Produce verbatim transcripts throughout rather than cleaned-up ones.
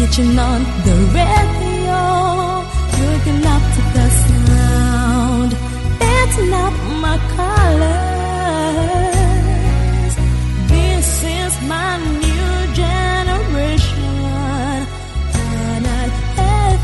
You turn on the radio, waking up to the sound. That's not my colors. This is my new generation. Canal F M.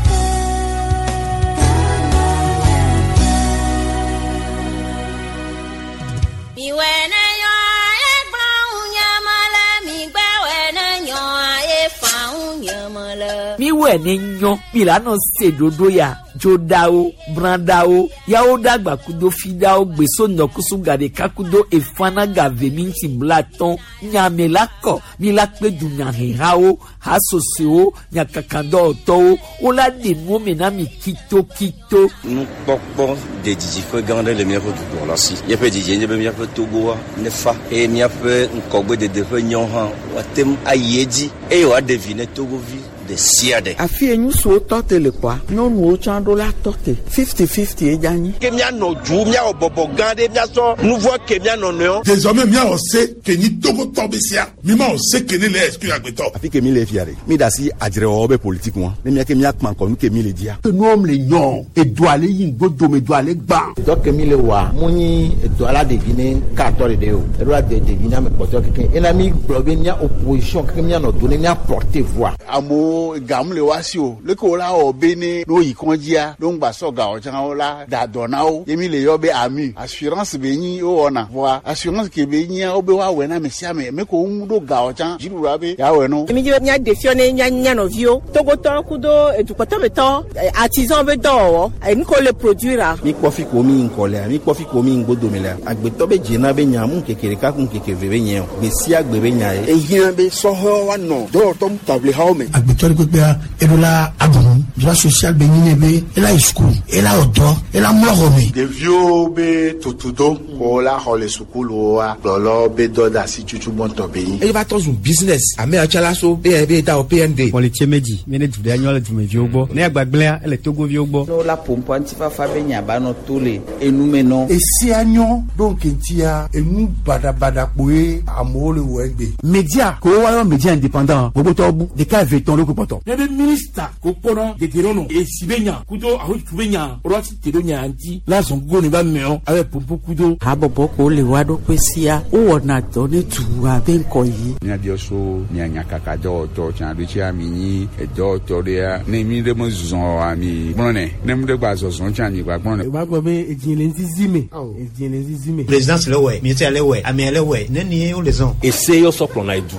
Mi wene yo e gba unyamala, mi gbe wene yo e fa unyamala. Mi wene nyo, mi la no se dodo ya. Jodawo, brandawo, yawo dagba kudo fidawo, gbeso nɔkusu gaɖeka kudo efana gave mi ŋuti blatɔn, nyame la kɔ, mi la kpe dunyahehawo, hasosowo, nyakakadɔwɔtɔwo, wola ɖe nuwo me na mi kitokito. Nukpɔkpɔ de didiƒe gã aɖe le míaƒe dukplɔla si. Míaƒe didi nye be míaƒe Togoa nefa eye míaƒe ŋgɔgbedede ƒe nyɔ hã woate ŋu ayi edzi eye wòaɖe vi ne Togovi ɖe sia ɖe. Afi ye ŋutsuwo tɔ te le kpɔa, nyɔnuwo tsã ɖo la tɔ te. Fifty fifty ye dze anyi. Ke míanɔ du, míawɔ bɔbɔ gã ɖe, míasɔ nu vɔ ke míanɔ nɔewo. Désormais míawɔ se ke nyi Togotɔ be sia, mi ma wɔ se ke ne le exclure agbetɔ. Afi ke mi le fia ɖe, mi da asi adzrewɔwɔ be politique ŋua, ne mía ke míakpã ŋkɔ nu ke mi le dzia. Nuwo le nyɔ, edu ale yi ŋgbodome, edu ale gbã. Dɔ ke mi le wɔa, mu nyi edu ala ɖevi ne katɔ ɖeɖe o, eɖo la de ɖevi ne ame kpɔtɔ keke. Ena mi gblɔ be mía opposition keke míanɔ do ne mía porter voix. Amewo gamu le wa si o, leke wo la wɔ be ne no yi kɔndzia, no ŋgba sɔ gawɔ tsã wo la da dɔ na wo. Ye mi le yɔ be ami, assurance be nyi wo wɔna. Voa assurance ke be nyia wo be woawɔe na ame sia ame, ame ko ŋu ɖo gawɔ tsã, dziɖuɖua be yeawɔe no. Mi dzi be míaɖe fiɔ ne mía mía nɔviwo, Togotɔwo kudo edukpɔtɔmetɔ, artisan be dɔwɔwɔ, enu ko le produire. Mi kpɔ fi ko mi ŋkɔ lea, mi kpɔ fi ko mi ŋgbodome lea, agbetɔ be dzena be nya mu ŋkeke ɖeka ku ŋkeke ve be nye o, gbe sia gbe be nya ye. Ehiã be sɔhɛwo woanɔ dɔwɔtɔ taʋlihawo me. Agbetɔ ɖe kpekpea, eɖo la aɖu droit social be nyi ne be ela yi sukulu, ela wɔ dɔ, ela mlɔ xɔ me. Ɖeviwo be tutudo ko la xɔ le sukuluwoa, kplɔlɔ be dɔ de asi tutu gbɔntɔ be nyi. Eye va trɔ zu business, ame yawo tsã la so be be da wɔ P N D. Kɔlitse medzi, mi ne du ɖe anyɔ le dumeviwo gbɔ, ne agbagblẽa ele Togoviwo gbɔ. Ne wola ƒo ŋutifafa be nya ba nɔ to le enume nɔ. Esia nyɔ ɖo ŋkeŋtia enu baɖabaɖa kpoe amewo le wɔ egbe. Media ko woayɔ media indépendant gbogbotɔwo bu ɖeka eve tɔn ɖo ko kpɔtɔ. Ne be minista ko kpɔnɔ dedenɔnɔ esi be nya kudo ahotu be nya woɖo asi te ɖo nya ŋuti la zɔn gogo ne ba mɛɔ abe pompo kudo. Habɔbɔ ko le wa ɖokui sia wowɔna dɔ ne dua be ŋkɔ yi. Míabiɔ so mía nyakakadɔwɔtɔ tsã ɖo tsia mi nyi edɔwɔtɔ ɖea ne mi ɖe me zɔ ami gblɔnɛ ne mi ɖe gba zɔzɔ tsã mi gba gblɔnɛ. O b'a gbɔ be edzi le ŋzizi me edzi le ŋzizi me. Présidence le wɛ ministère le wɛ amea le wɛ ne ni wo le zɔn. Ese yɔ sɔ kplɔna edu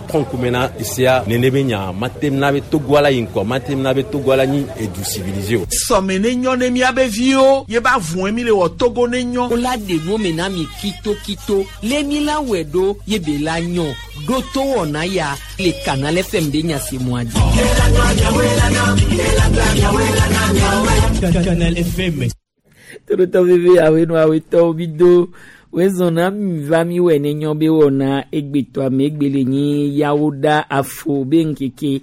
kɔnkume na esea nene be nya matem na be Togoa la yi ŋkɔ matem na be Togoa la nyi edu civilisé o. Sɔme ne nyɔ ne miabe viwo ye ba vɔe mi le wɔ Togo ne nyɔ. Wola ɖe nuwo me na mi kitokito le mi la wɔe ɖo ye be la nyɔ ɖo to wɔna ya le Canal F M be nya se mɔa dzi. Canal F M. Torotɔ veve awenu awetɔwo mi do wezɔna mi va mi wɔ ne nyɔ be wɔna egbetɔ ame egbe le nyi yawo ɖa afo be ŋkeke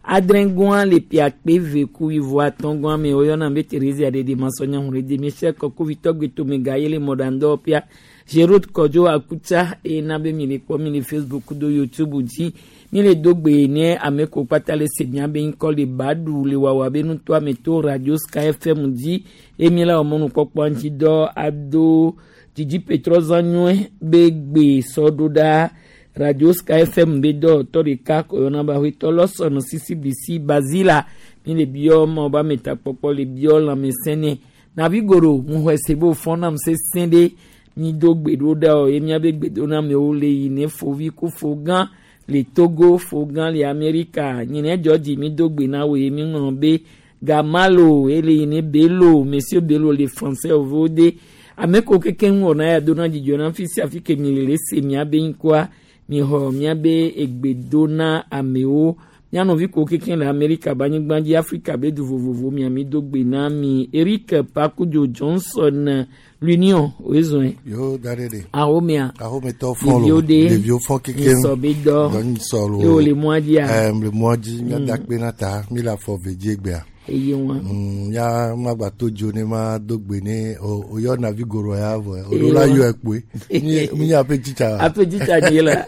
adrɛngɔa le piakpe ve ku ivo atɔngɔa me woyɔna be Thérésia ɖeɖe masɔnya hu ɖe michel kɔkovitɔ gbetome ga ye le mɔɖaŋdɔ pia Gérard Kɔdzo Akutsa eye na be mi le kpɔ mi le Facebook do YouTube dzi mi le do gbe ne ame ko kpata le se mia be ŋkɔ le baɖu le wawa be nutoa me to Radio Sky F M dzi eye mi la wɔ mɔnukpɔkpɔ ŋuti dɔ ado Didi Petrɔzã nyɔe be gbe sɔ ɖo ɖa Radio Sky F M be dɔwɔtɔ ɖeka ko yɔna be aƒetɔ Lɔsɔnɔ Sisi Bisi Bazila mi le biɔ ma wobe ametakpɔkpɔ le biɔ lãmesẽ nɛ navi goro ŋuxɔe se be wòfɔ nam sesẽ ɖe mi do gbe ɖo ɖa o ye miabe gbedonamewo le yi ne fovi ku fo gã le Togo fo gã le Amerika nyine dzɔdzi mi do gbe na wo ye mi ŋlɔ be Gamalo ele yi ne Bello Monsieur Bello le français vovo de ame ko keke ŋu wɔna ya dona dzidzɔ na fi sia fi ke mi le le se miabe ŋkɔa mi xɔ miabe egbe do na amewo mianɔvi ko keke le Amerika be anyigba dzi Afrika be du vovovo mia mi do gbe na mi Eric Pakudzo Johnson l'Union wezɔe. Yo da ɖe ɖe. Ahomea. Ahometɔ fɔ lo. Ɖeviwo ɖe. Ɖeviwo fɔ keke. Misɔ be dɔ. Dɔ ŋusɔ lo. Ye wòle mɔa dzia. Ɛɛ le mɔa dzi miada Mm. kpe na ta mi le afɔ ve dzi egbea. Eye wa. Mm, ya magba to dzo ne ma do gbe ne o o yɔ navi goro ya vɔ. O Eye ɖo la wa. yɔ ekpoe. Mi mi nye aƒe tsitsa. Aƒe tsitsa dzi la.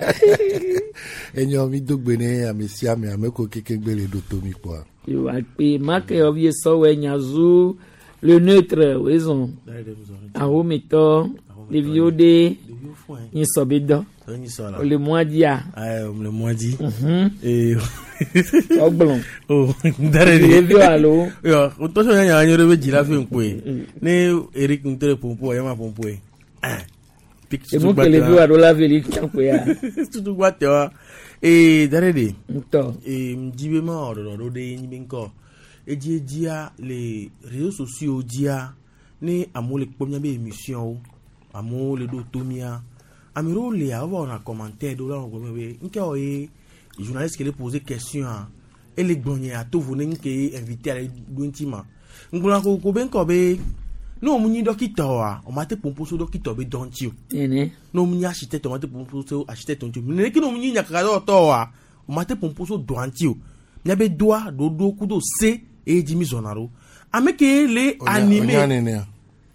Enyo mi dogbe ne ame sia ame ame ko keke gbe le ɖo to mi kpɔa. Yo akpe make yɔvi sɔwɔ nyazu le neutre wezɔn ahometɔ ɖeviwo ɖe nyisɔ be dɔ le mois dia. Ayi le mois di. Ɔgblɔ. O dare de. Ɖeviwo alo. Yɔ o tɔsɔ nya nya anyi ɖe be dzila fi ŋkpoe ne Eric ŋutɔ le pompo yɛ ma pompo ye. Emu ke ɖeviwo alo la veli kpakpe ya. Tutugba tɛ wa ee dare de. Ŋutɔ. Ee ŋdi be ma wɔ ɖɔɖɔ ɖe nyi be ŋkɔ edzi edzia le réseaux sociaux dzia ne amewo le kpɔ míabe émission wo amewo le ɖo to mía ame ɖewo lia wova wɔna commentaire ɖewo la wɔ gblɔ be nke wɔ ye journaliste ke le poser question a ele gblɔ nye ato vo ne nke ye invité ale ɖo ŋuti ma ŋgblɔna kokoko be ŋkɔ be ne wo mu nyi dɔkita oa o ma te ƒoƒo so dɔkita be dɔ ŋuti o Nene. ne wo mu nyi architecte o ma te ƒoƒo so architecte ŋuti o nene ke ne wo mu nyi nyakakadɔwɔtɔ oa o ma te ƒoƒo so dɔa ŋuti o míabe dɔa ɖoɖo kudo se eye dzi mi zɔna ɖo ame ke le animé Onya nenea.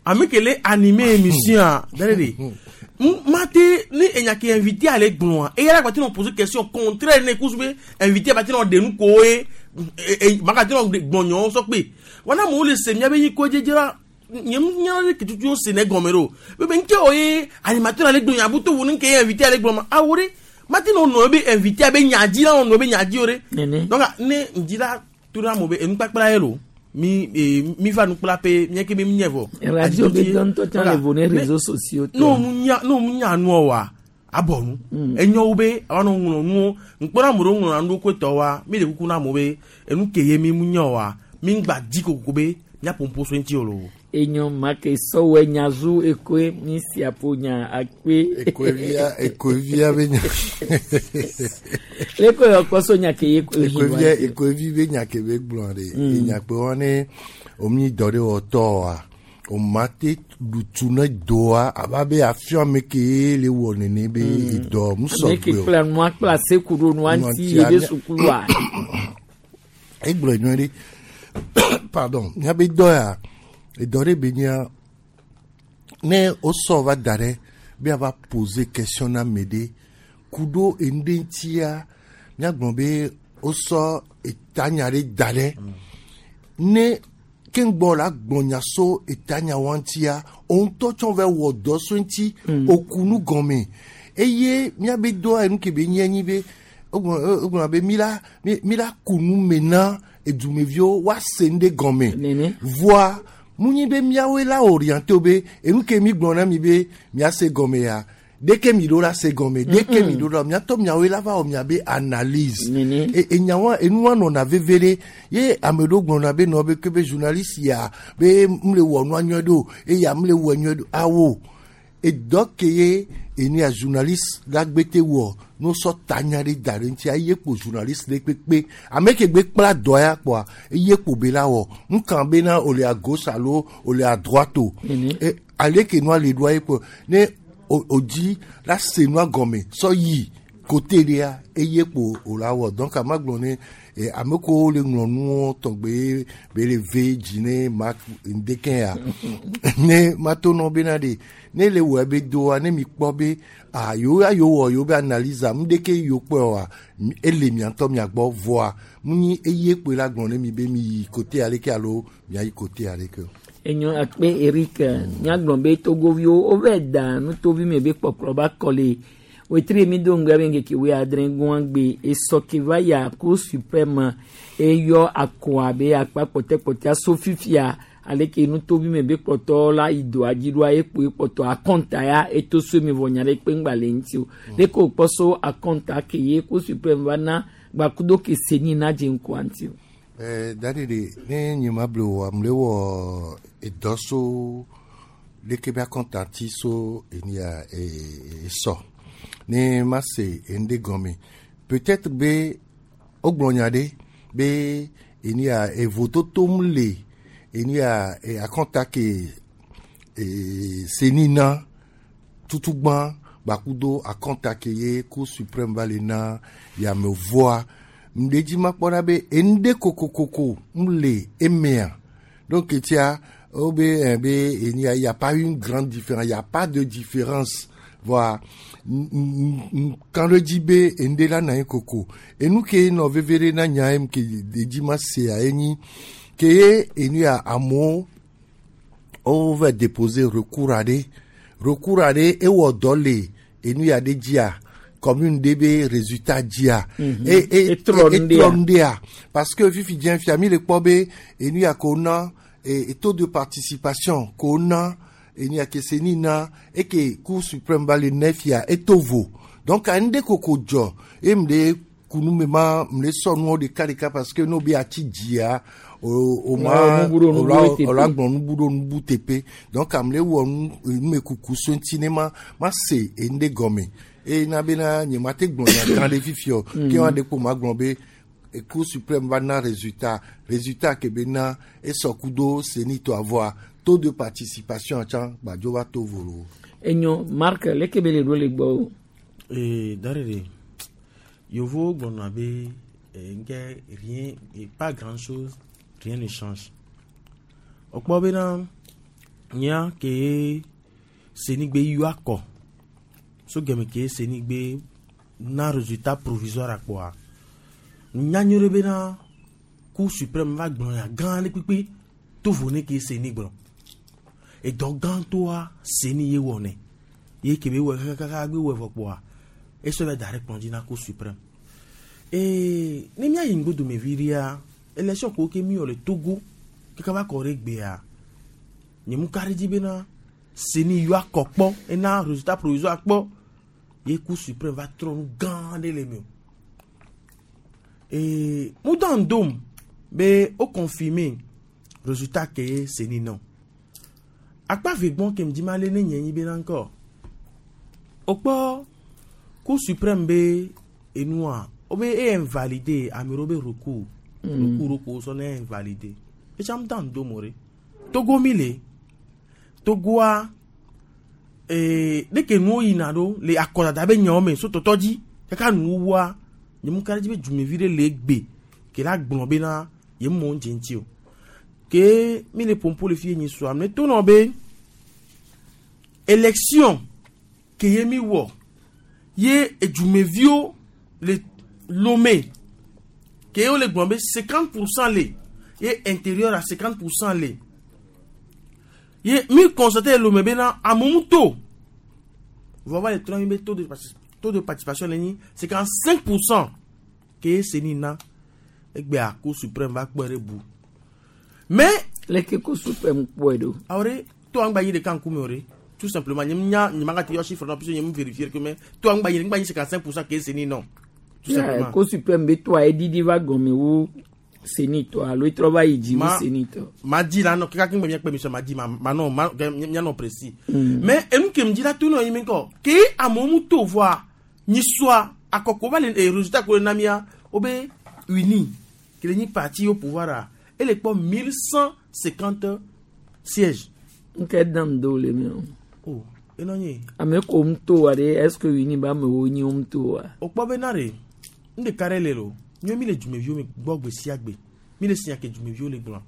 ame ke le animé émission a dare de mate ne enya ke invité ale gblɔa eya la gbati nɔ poser question contraire ne kusu be invité bati nɔ de nu ko ye maka ti nɔ gblɔ nyɔwo sɔ kpe wana amewo le se miabe nyi ko dzedze la nye nya ɖe ke tutu wo se ne gɔme ɖo bebe nke o ye animateur ale gblɔ nya buto wo ne nke ye invité ale gblɔ ma awo ɖe mate nɔ nɔ be invité be nya dzi la nɔ be nya dzi o ɖe donc ne ŋdzi la to ɖe amewo be enukpakpla ye lo mi eh, mi va nukplaƒe mía ke mi nye vɔ. Radio be dɔ ŋutɔ tsã le vo ne réseaux sociaux ne wo nya ne wo nya nua wa abɔ nu enyo wo be awa nɔ ŋlɔ nuwo ŋkpɔ na ame ɖewo ŋlɔna nu ɖokui tɔ wa mi le kuku na amewo be enu ke ye mi mu nya wa mi ŋgba dzi kokoko be míaƒo ƒo so ŋuti o lo. Enyo make sɔwɔ nyazu ekoe mi siapo nya akpe. Ekoevia ekoevia be nya. Leko yɔ kpɔ so nya ke ye ko Ekoevia ekoevi be nya ke be gblɔ ɖe. Enya kpe wa ne omi dɔ ɖe wɔtɔ wa o ma te ɖutu ne doa aba be afiɔ ame ke ye le wɔ nene be dɔ musɔ Ame ke gbe o. kpla nua kpla seku ɖo nua ŋuti ye be sukulua. Egblɔ nyuie ɖe pardon míabe dɔ ya edɔ ɖe be nyia ne wosɔ va da ɖe be ava poser question na ame ɖe ku ɖo enu ɖe ŋutia míagblɔ be wosɔ etanya ɖe da ɖe ne keŋgbɔ la gblɔ nya so etanya wa ŋutia wo ŋutɔ tsɔ va wɔ dɔ so ŋuti oku nu gɔme eye míabe dɔa enu ke be nye nyi be wogblɔ wogblɔna be mi la mi mi la ku nu me na edumeviwo woase nu ɖe gɔme voa mu nyi be míawoe la orienté wo be enu ke mi gblɔ na mi be miase gɔme ya deke mi ɖo la se gɔme deke mi ɖo la miatɔ miawoe la va wɔ miabe analyse e enyawa enua nɔna veve ɖe ye ame ɖewo gblɔna be nɔ be ke be journaliste ya be m le wɔ nua nyuie ɖo eya m le wɔ nyuie ɖo awo edɔ ke ye enu ya journaliste la gbete wɔ no sɔ tanya ɖe da ɖe ŋuti eye kpo journaliste ɖe kpekpe ame ke gbe kpla dɔ ya kpoa eye kpo be la wɔ ŋkan bena o le à gauche alo o le à droite o e ale ke nua le ɖoa ye kpo ne o o dzi la se nua gɔme sɔ yi côté ɖea eye kpo o la wɔ donc ama gblɔ ne e, ame kewo le ŋlɔ nuwo tɔgbe be le ve dzi ne ma ŋdeke ya ne mato nɔ bena ɖe ne le wɔ be doa ne mi kpɔ be ah yewo ya yewo wɔ yewo be analyse a ŋdeke yewo kpɔe oa ele mia ŋutɔ mia gbɔ voa mu nyi eye kpoe la gblɔ ne mi be mi yi côté aleke alo miayi côté aleke o. Enyo akpe Eric míagblɔ be togoviwo wova da nutovi me be kpɔkplɔ ba kɔ le wetri mi do ŋgbe be ŋkeke woe adre gɔn gbe esɔ ke va ya cour suprême eyɔ akɔa be akpa kpɔtɛkpɔtɛa so fifia aleke nutovi me be kpɔtɔ la yi doa dzi ɖoa ekpo ekpɔtɔ akɔnta ya eto so mi vɔ nya ɖe kpe ŋgba le ŋuti o leke wòkpɔ so akɔnta ke ye cour suprême va na gbakudo ke seni na dze ŋkua ŋuti o. Eh, dadi de ne nye ma ble wɔ am le wɔ edɔ so leke be akɔnta ti so eni ya esɔ ne ma se enu ɖe gɔme peut-être be wogblɔ nya ɖe be eni ya evototo mu le eni ya akɔnta ke e, seni na tutugbã gbakudo akɔnta ke ye cour suprême va le na yame voa ŋɖe dzi ma kpɔ ɖa be enu ɖe kokokoko mu le emea donc tia wo be eh, be eni ya y a pas une grande différence y a pas de différence Voa kan ɖe dzi be enu ɖe la na anyi koko. Enu ke nɔ veve ɖe na nya ye ke edzi ma sea enyi ke ye enu ya amewo wova déposer recours aɖe recours aɖe ewɔ dɔ le enu ya ɖe dzia commune ɖe be résultat dzia. Mhm. E e Etrɔ nu ɖea. etrɔ nu ɖea parce que fifi dze fia mi le kpɔ be enu ya ko na e taux de participation ko na enu ya ke CENI na eke cour suprême va le ne fia eto vo donc anu ɖe koko dzɔ eye mu ɖe kunu me ma mu ɖe sɔ nuwo ɖeka ɖeka parce que n'o be ati dzia o o ma Ouais, nubu ɖo nubu o la teƒe. o la gblɔ nubu ɖo nubu teƒe donc ame ɖe wɔ nu numekuku so ŋuti ne ma ma se enu ɖe gɔme eye na bena nye ma te gblɔ nya gã ɖe fifi o Mm. ke wa ɖe kpo ma gblɔ be e cour suprême va na résultat résultat ke be na esɔ kudo CENI to avoa taux de participation tsã gbadzo va to volo. Enyo Marc leke be le ɖo le gbɔ o. Ee, Darere, Yovo gblɔna be eh, nke rien, et pas grand chose, rien ne change. Wokpɔ bena nya ke ye CENI gbe yɔ akɔ so gɛmɛ ke ye CENI gbe na résultat provisoire akpɔa nya nyuie ɖe bena cour suprême va gblɔ nya gã ɖe kpekpe to vo ne ke ye CENI gblɔ. Edɔ gãtɔa CENI ye wɔnɛ ye ke be wɔ kakaka gbe wɔ vɔ kpoa esɔ bɛ da ɖe kplɔ dzi na cour suprême. Ee ne míayi ŋgbodome vi ɖea élection ko ke mi wɔ le Togo kaka va kɔ ɖe gbea nye mu ka ɖe dzi bena CENI yɔ akɔ kpɔ ena résultat provisoire kpɔ ye cour suprême va trɔ nu gã ɖe le me o. Ee mu dan dom be o confirmer résultat ke ye CENI nɔ. Akpa ve gbɔn ke ŋdi ma lé ne nye nyi bena ŋkɔ wokpɔ cour suprême be enua wobe e invalide ame ɖewo be recours Mm. recours ɖo ko sɔ ne invalide etsa mu dan dom o ɖe Togo mi le Togoa ee ɖeke nuwo yina ɖo le akɔdada be nyawo me so tɔtɔ dzi kaka nuwuwua nye mu ka ɖe dzi be dumevi ɖe le egbe ke la gblɔ bena ye mɔ ŋdze ŋuti o ke mi le pompo le fi ye nyi sua ame to nɔ be élection ke ye mi wɔ ye edumeviwo le Lomé ke wo le gblɔ be cinquante pour cent le ye intérieur à cinquante pour cent le ye mi constaté le Lomé bena amewo to vɔ va le trɔ mi be taux de partic- taux de participation le nyi cinquante cinq pour cent ke ye CENI na egbea cour suprême va kpɔe ɖe bu mais leke cour suprême kpɔe ɖo. awɔ ɖe to angba yi ɖeka ŋkume o ɖe tout simplement nye nya nye ma ka te yɔ chiffre nɔ puisque nye mu vérifier que mais to angba yi ŋgba yi cinquante cinq pour cent ke ye CENI nɔ tout simplement. Cour suprême be toa eɖiɖi va gɔme wu CENI tɔ alo etrɔ va yi dzi wu Ma- CENI tɔ. ma di la nɔ kaka kí n gbɛ miakpɛ mi sɔ ma di ma ma nɔ ma kɛ mianɔ précis Mm. mais enu ke mi dzi la to nɔ yi mi kɔ ke amewo mu to voa nyisua akɔkɔ va le eh, résultat ko le na mia wo be uni ke le nyi parti au pouvoir a ele kpɔ mille cent cinquante sièges. Nke dan do le mi o. o enɔ nye Ame ko mu to wa ɖe est ce que uni be amewo nyi wo mu to wa. o kpɔ bena re nu ɖeka ɖe le lo míawo mi le dumeviwo me gbɔ gbe sia gbe mi le sia ke dumeviwo le gblɔ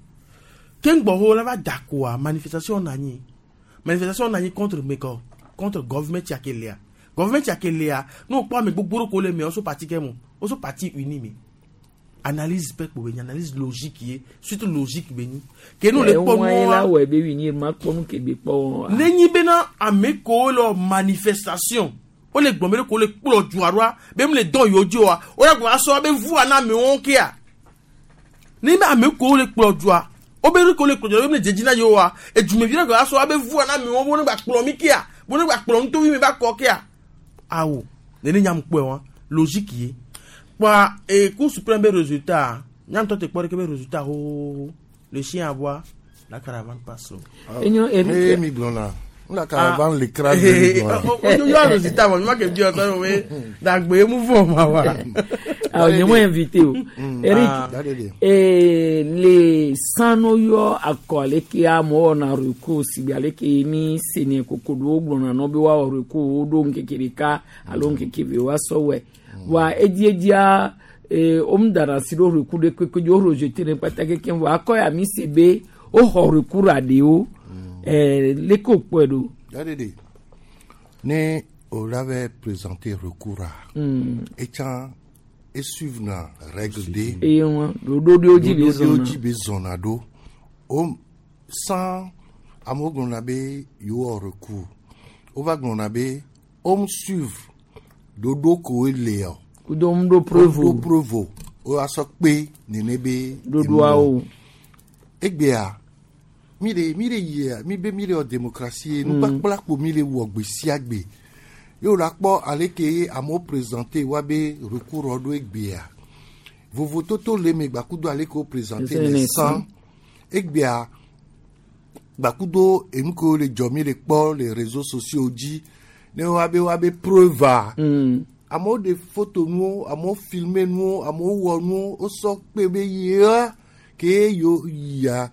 ke ŋgbɔwo la va da koa manifestation na anyi manifestation na anyi contre mekɔ contre government ya ke lea government ya ke lea ne wokpɔ ame gbogbo ɖe ko le mea woso parti ke mo woso parti uni me analyse pɛ kpo be nyi analyse logique ye surtout logique be nyi ke ne wole kpɔ Ŋua ye la nua wɔe be uni ma kpɔ nu ke be kpɔ wɔn wa. nenyi bena ame kewo le manifestation wole gblɔm be ɖe ko wole kplɔ dua ɖoa be mu le dɔn yewo dzi oa wole gblɔ asɔ be vua na amewo kea ne be ame kewo le kplɔ dua wobe ɖe ko le kplɔ dua be mu le dzedzi na yewo oa edumevi ɖe gblɔ asɔ be vua na amewo bo ne gba kplɔ mi kea bo ne gba kplɔ nutovi mi ba kɔ kea awo nene nyam kpɔe wa logique ye kpɔa ee cour suprême be résultat nyamtɔ te kpɔ ɖeke be résultat xoxoxo le chien aboie la caravane passe. Enyo Eric. Ee mi gblɔ na n la caravane le crase mi gblɔ na. o yɔ résultat mɔ mi ma ke bi ɔtɔ mi dagbe mu fɔ ma wa. Ah, nye mo invité o. Mm. Eric, Ah. eh, le sanu yɔ akɔ ale ke amewo wɔna recours sigbe ale ke mi sene koko ɖo gblɔna nɔ be woawɔ recours woɖo ŋkeke ɖeka alo ŋkeke eve woasɔ wɔe. Wa edziedzia eh, womdana asi ɖo recours ɖe kpekpe dzi wo rejeté ne kpata kekeŋ vɔ akɔ ya mi se be woxɔ recours aɖewo. Eh, leke wokpɔe ɖo? Yaɖeɖe ne O l'avait présenté recours a. Mm. Etsã esuivre na règle de. Eye wọn ɖoɖo ɖewo dzi be Ɖoɖo zɔna. dzi be zɔna ɖo. O sans amewo gblɔna be yewowɔ recours. Wova gblɔna be wom suivre ɖoɖo koe lea. Kudo ŋu ɖo preuve o. Ɖo preuve o. Woasɔ kpe nene be. Ɖoɖoawo. Egbea mi le mi le yia mi be mi le wɔ démocratie Mm. nukpakpla kpo mi le wɔ gbe sia gbe. Ye wòle akpɔ ale ke ye amewo présenter wa be recours ɖo egbea. Vovototo le eme gbakudo ale ke wo présenter Ese le ne san. san. Egbea gbakudo enu kewo le dzɔ mi le kpɔ le réseaux sociaux dzi ne wa be wa be preuve a. Mm. Amewo ɖe foto nuwo, amewo filme nuwo, amewo wɔ nuwo, wosɔ kpe be yea ke yo yia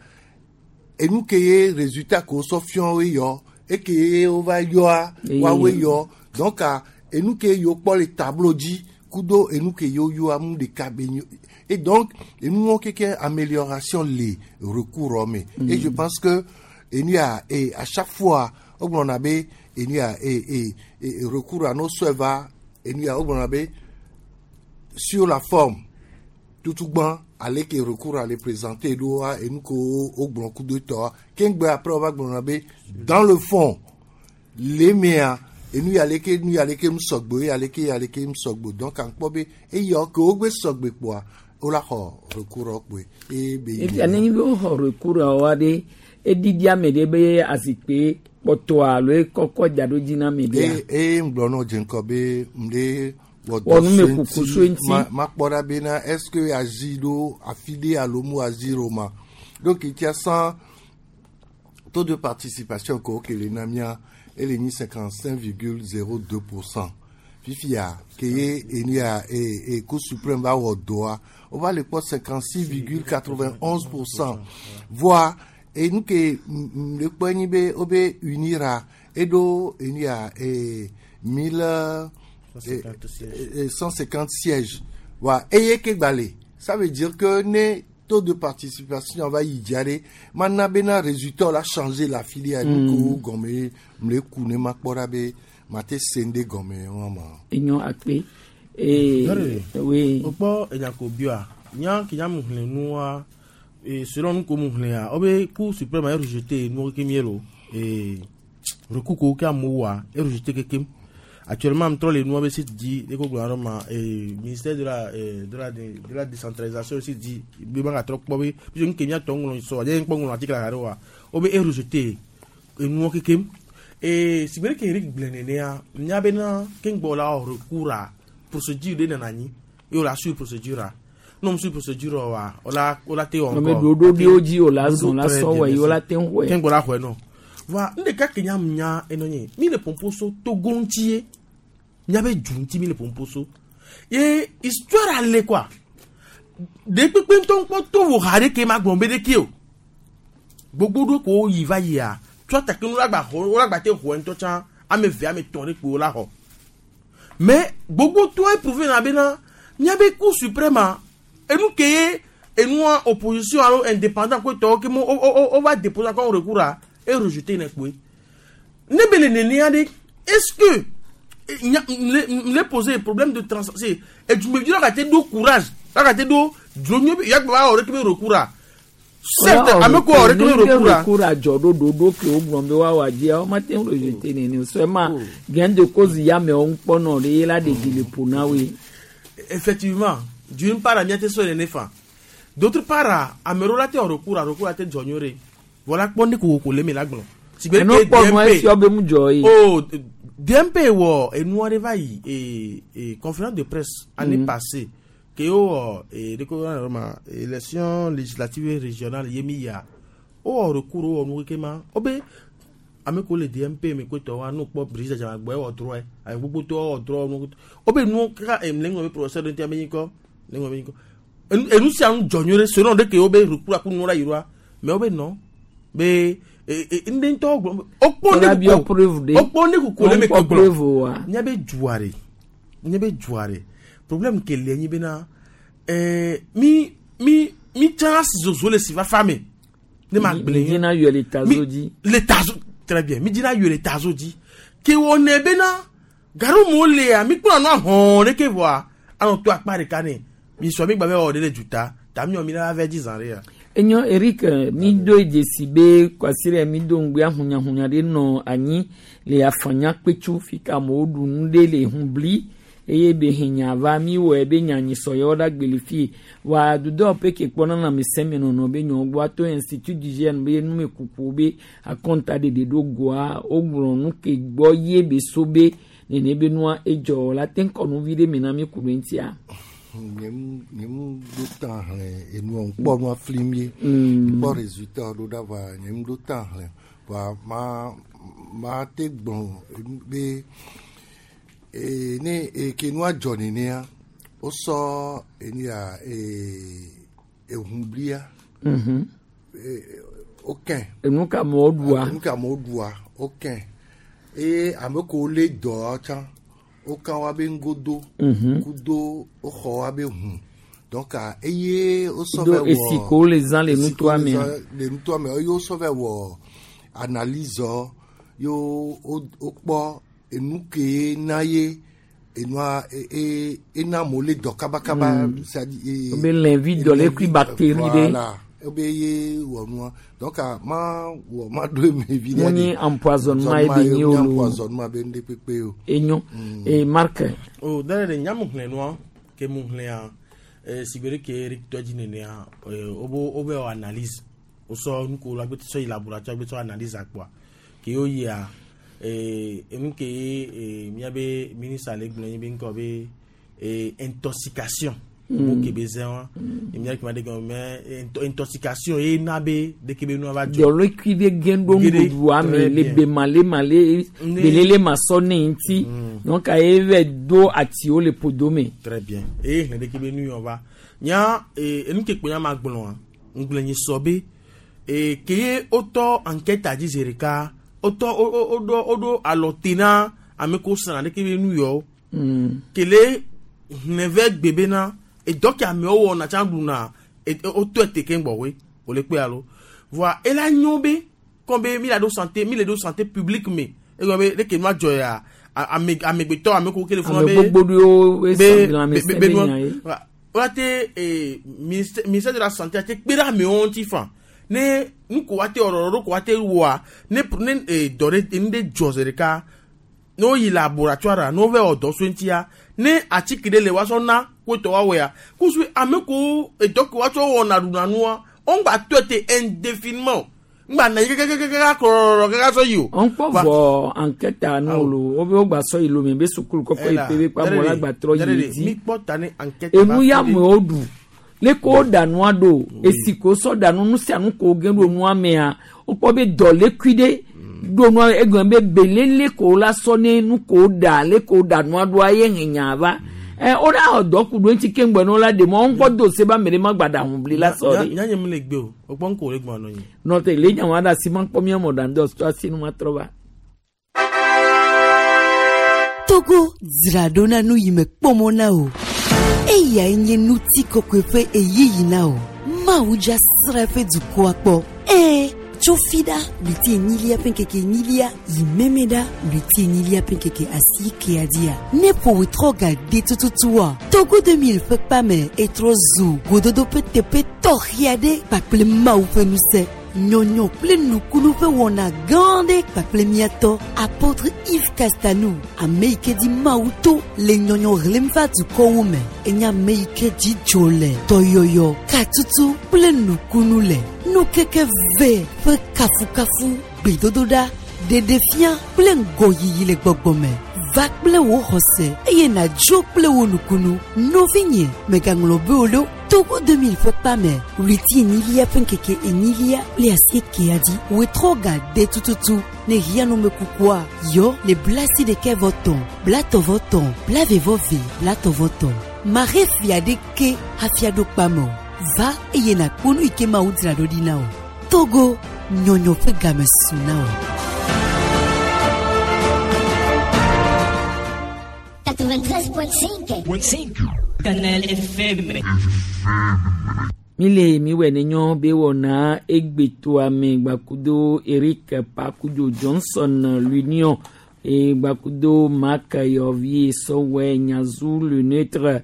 enu ke ye résultat ke wosɔ fiɔ woe yɔ eke ye wova yɔa Eye. woawoe yɔ donc a enu ke yewo kpɔ le tableau dzi kudo enu ke yewo yɔa nu ɖeka be nyo et donc enuwo keke amélioration le recours me Mm. et je pense que enu ya et à chaque fois wogblɔna be enu ya e e e recours a no sɔe va enu ya wogblɔna be sur la forme tutugbã ale ke recours ale présenter ɖoa enu ke wo wogblɔ kudo tɔa keŋgbe après wova gblɔna be dans le fond le mea enu ya leke nu ya leke mu sɔgbe ya leke ya leke mu sɔgbe donc ankpɔ be eyɔ ke wogbe sɔgbe kpoa wola xɔ recours kpoe eye be yi Efia nenye be woxɔ recours wa ɖe eɖiɖi ame ɖe be azikpe kpɔtɔa alo ekɔkɔ da ɖo dzi na ame ɖea. eye eye ŋgblɔ nɔ dze ŋkɔ be ŋɖe wɔ Wɔ dɔ numekuku so eŋuti. ma makpɔ ɖa bena est ce que azi ɖo afi ɖe alo mu azi ɖo ma donc etia sans taux de participation ko ke le na mía ele nyi cinquante cinq virgule zéro deux pour cent fifia ke ye enu ya e e cour suprême va wɔ dɔa wova le kpɔ cinquante six virgule quatre vingt onze pour cent voa enu ke m- m- le kpɔ nyi be wobe unira eɖo enu ya e mille cent cinquante sièges wa eye ke gba le ça veut dire que ne taux de participation va yi dzia ɖe mana bena résultat la changer la filière Mm. nu ko gɔme mle ku ne makpɔ ɖa be mate se ŋɖe gɔme wa ma. Enyo akpe. Ee oui. O kpɔ enyako bioa nya ke nya mu xlẽ nua e selon nu ko mu xlẽa wobe cour suprême a rejeté nuwo kekem ye lo e recours ko ke amewo wɔa e rejeté kekem actuellement trɔ le nua be site dzi de ko gblɔ ɖe ma e ministère de la e, de la de, de la décentralisation aussi dzi be ma gatrɔ kpɔ be puisque nu ke miatɔ ŋlɔ sɔ adzɛ kpɔ ŋlɔ article la ɖe wa wobe e rejeté enuwo kekem e sigbe ɖe ke Eric gblẽ nenea nya bena keŋgbɔ la wɔ recours a procédure ɖe nana anyi ye wòle suivre procédure a ne wòm suivre procédure wa wòla wòla te wɔ Nɔ be ɖoɖo ɖewo dzi wòle azɔ la sɔ wɔe, ye wola te ŋu xɔe. keŋgbɔ la xɔe nɔ voa nu ɖeka ke nya nya enɔ nye mi le pɔmpo so Togo ŋuti ye miabe du ŋuti mi le pɔmpo so ye histoire ale quoi ɖe kpekpe ŋutɔ ŋkpɔ to wò ha ɖe ke ma gblɔ be ɖeke o gbogbo ɖo ko yi va yia tsɔ take nu la gba xɔ wo la gba te xɔ ŋutɔ tsã ame eve ame etɔ̃ ɖe kpo la xɔ mais gbogbo to éprouvé na bena miabe cour suprême a enu ke ye enua opposition alo indépendant ko tɔwo ke mo o o o va déposer encore recours a e rejeté ne kpoe ne be le nenea ɖe est ce que eh, nya mle mle poser problème de trans c'est edumevi la ka te do courage la ka te do dzonyo bi yagba wa wɔ ɖe ke be recours a certes ame ko wɔ ɖe ke be recours a recours adzɔ ɖo ɖoɖo ke wogblɔ be woawɔ dzia womate ŋu rejeté nene o seulement gain de cause ya amewo ŋu kpɔnɔ ɖe ye la ɖe dzi le ƒo na woe. effectivement d'une part miate sɔ nene fa d'autre part ame ɖewo la te wɔ recours a recours a te dzɔ nyuie ɖe voilà kpɔ ne kokoko le me la gblɔ. Sigbe Enu ke kpɔ nua D M P efiɔ be mu dzɔ ye. Oh, D M P wɔ enua ɖe va yi e e conférence de presse année Mhm. passée ke wowɔ e de ko yɔrɔ ma élection législative régionale ye mi yia wowɔ recours wowɔ nu keke ma wobe ame ko le D M P me ko tɔ wa nu kpɔ Brigitte Adjamagbo ewɔ droit ame gbogbo tɔ wɔ droit nu wobe nu kaka em le ŋlɔ be professeur ɖe ŋuti ame nyi kɔ le ŋlɔ be nyi kɔ enu enu sia nu dzɔ nyuie ɖe selon ɖe ke wobe recours aku nu la yi ɖoa mais wobe nɔ be e e ŋɖe ŋutɔ gblɔ wokpɔ Wòla ne biɔ kuku preuve ɖe. wokpɔ ne kuku le me Wokpɔ ke preuve oa. gblɔ míabe dua ɖe míabe dua ɖe problème ke le nyi bena ɛɛ mi mi mi tsã si zozo le si fafa me ne ma Mi- gblẽ mi dzina yɔ le tazo dzi. le tazo très bien mi dzina yɔ le tazo dzi ke wɔnɛ bena Gaɖo mo lea mi kplɔ nua hɔn ɖeke vɔa anɔ to akpa ɖeka ne mi sɔ mi gba be wɔ ɖe le duta ta mi wɔ mi la va dzi zã ɖe ya. Enyo Eric mi do dzesi be kwasiɖe mi do ŋgbe ahunyahunya ɖe nɔ anyi le afanya kpetsu fi ka amewo ɖu nu ɖe le ŋubli eye be henya va mi wɔe be nyanyi sɔyɔ ɖa gbeli fi wa dudɔwɔƒe ke kpɔna na ame be nyɔwo gbɔ to institut d'hygiène be numekuku be akɔnta ɖeɖe ɖo goa wogblɔ nu ke gbɔ ye be so be nene be nua edzɔ la te ŋkɔ nuvi ɖe me na mi ku ɖe ŋutia. Nye mu ɖo ta hlẽ enua ŋkpɔ nua fli mie ŋkpɔ résultat ɖo ɖa va nye mu ɖo ta hlẽ va ma ma te gblɔ be e ne e ke nua dzɔ nenea wosɔ enia e ehunblia Mhm. wokɛ Enu ka amewo ɖua. enu ka amewo ɖua wokɛ eye ame kewo lé dɔ tsã woka wa be ŋgodo Mhm. kudo woxɔ wa be hu donc eye wosɔ Do vɛ wɔ esi kewo le zã le esi kewo nutoa le mea. zã le nutoa me eye wosɔ vɛ wɔ analyse ye wo wokpɔ enu ke na ye enua e e ena amewo le dɔ kabakaba Mm. c'est-à-dire Be lɛnvi dɔlékui bactérie ɖe. voilà ebe ye wɔ nua donc ma wɔ ma ɖo eme vi ɖe Mu nyi empoisonnement ye be nyi o lo. empoisonnement be ŋɖe kpekpe o. Enyo e Marc. O dɛ de nya mu hlẽ nua ke mu hlẽa eh, sigbe ɖe ke Eric tɔ dzi nenea eh, wobe wobe wɔ analyse wosɔ nuko la gbete sɔ yi laboratoire gbete sɔ analyse akpɔa ke wo yia eh, enu ke eh, miabe ministre le gblɔ nyi be ŋkɔ be eh, intoxication Mm. mo ke be zẽ wa mia ke ma de gɔme mais into- intoxication ye na be ɖeke be nua va dzɔ dɔlékui ɖe ge ɖo Gere, nuɖuɖua me très le bien. be malemale Ne- belele masɔ ne ŋuti donc eye vɛ do atiwo le ƒodo me. Très bien. Eye hlẽ ɖeke be nu yɔ va. Nya eh, enu ke kpo nya ma gblɔa, ŋgblẽ nyi sɔ be eh, ke ye wotɔ enquête dzi zi ɖeka, wotɔ wo- wo- woɖo woɖo alɔ te na ame kewo srã ɖeke be nu yɔ. Mm. Kele hlẽ vɛ gbe bena edɔ ke amewo wɔna tsã ɖuna e- e- wotɔe te keŋ gbɔwoe wòle kpe alo. Voa ela nyo be kɔn be mi la ɖo santé mi le ɖo santé publique me egɔme be ɖeke nua dzɔ ya a- ame amegbetɔ ame kewo ke le fún Ame gbogbo ɖewo be lãmesẽ be be be nua nya ye. woate eh, ministère ministère de la santé ate kpe ɖe amewo ŋuti fa ne nu ko woate wɔ ɖɔɖɔ ko woate wɔa ne ne eh, dɔ ɖe nu ɖe dzɔ zi ɖeka ne woyi laboratoire ne wova wɔ dɔ so ŋutia ne atike ɖe le woasɔ na kotɔ woawɔea kusu ame kewo edɔ ke woatsɔ wɔna ɖuna nua woŋgba tɔe te indéfiniment ŋgba na yi kɛkɛkɛkɛ kɔrɔrɔ kɛkɛ sɔ yi o. Ŋkpɔ vɔ enquête nu lo wobe wogba sɔ yi lome be sukulu kɔkɔ yi pe be kpa amewo la gba trɔ yi dzi. mi kpɔ ta ne enquête enu ya amewo ɖu leke wo ɖa nua ɖo esi ko sɔ ɖa nu nu sia nu ko ge ɖo nua mea wokpɔ be dɔlékui ɖe ɖo nua egɔme be belele ko la sɔ ne nu ko ɖa leke wo ɖa nua ɖoa ye he nya va ɛ wo ɖa xɔ dɔ ku ɖo ŋuti keŋgbɔ ne wo la ɖe mɔ ŋkpɔ do se be ame ɖe ma gba ɖa ŋubli la sɔ ɖe nya nye mi le gbe o o kpɔ ŋko le gbɔn nɔ nyi. nɔte le nya wa ɖe asi ma kpɔ mía mɔ ɖa ŋdɔ sɔ asi nu ma trɔ va. Togo dzra ɖo na nu yi me kpɔmɔ na o. Eyae nye ŋutikɔkɔe ƒe ɣeyiɣi na o. Mawu dza srã eƒe dukɔa kpɔ. Ẽ, tso fi ɖa ɣleti enyilia ƒe ŋkeke enyilia yi meme ɖa ɣleti enyilia ƒe ŋkeke asiekea dzia. Ne ƒo ɣetrɔ ga de tututua, Togo deux mille ƒe kpame etrɔ zu gododo ƒe teƒe tɔxɛ aɖe kpakple Mawu ƒe ŋusẽ. Nyɔnyɔ kple nukunu ƒe wɔna gã aɖe kpakple miatɔ apôtre Yves Castanou ame yi ke di Mawu to le nyɔnyɔ hlẽm va dukɔwo me enye ame yi ke dzi dzo le dɔyɔyɔ katutu kple nukunu le nukeke ve ƒe kafukafu gbedodoɖa ɖeɖefia kple ŋgɔyiyi le gbɔgbɔ me va kple wò xɔse eye nàdzo kple wò nukunu nɔvinye mègaŋlɔ be o ɖo Togo deux mille ƒe kpame ɣleti enyilia ƒe ŋkeke enyilia kple asiekea dzi ɣetrɔ ga de tututu ne hiã numekukua yɔ le blasi ɖekɛ vɔ tɔn blatɔ vɔ tɔn blave vɔ ve blatɔ vɔ tɔn mahe fia ɖeke hafi aɖo kpame o va eye nàkpɔ nu yi ke Mawu dzra ɖo ɖi na o Togo nyɔnyɔ ƒe game su na o. quatre-vingt-treize point cinq. Canal F M. Mi le mi wɛ ne nyɔ be wɔna egbetoa me gbakudo Eric Pakudzo Johnson l'Union E gbakudo Marc Yɔvi sɔwɛ Nyazu le neutre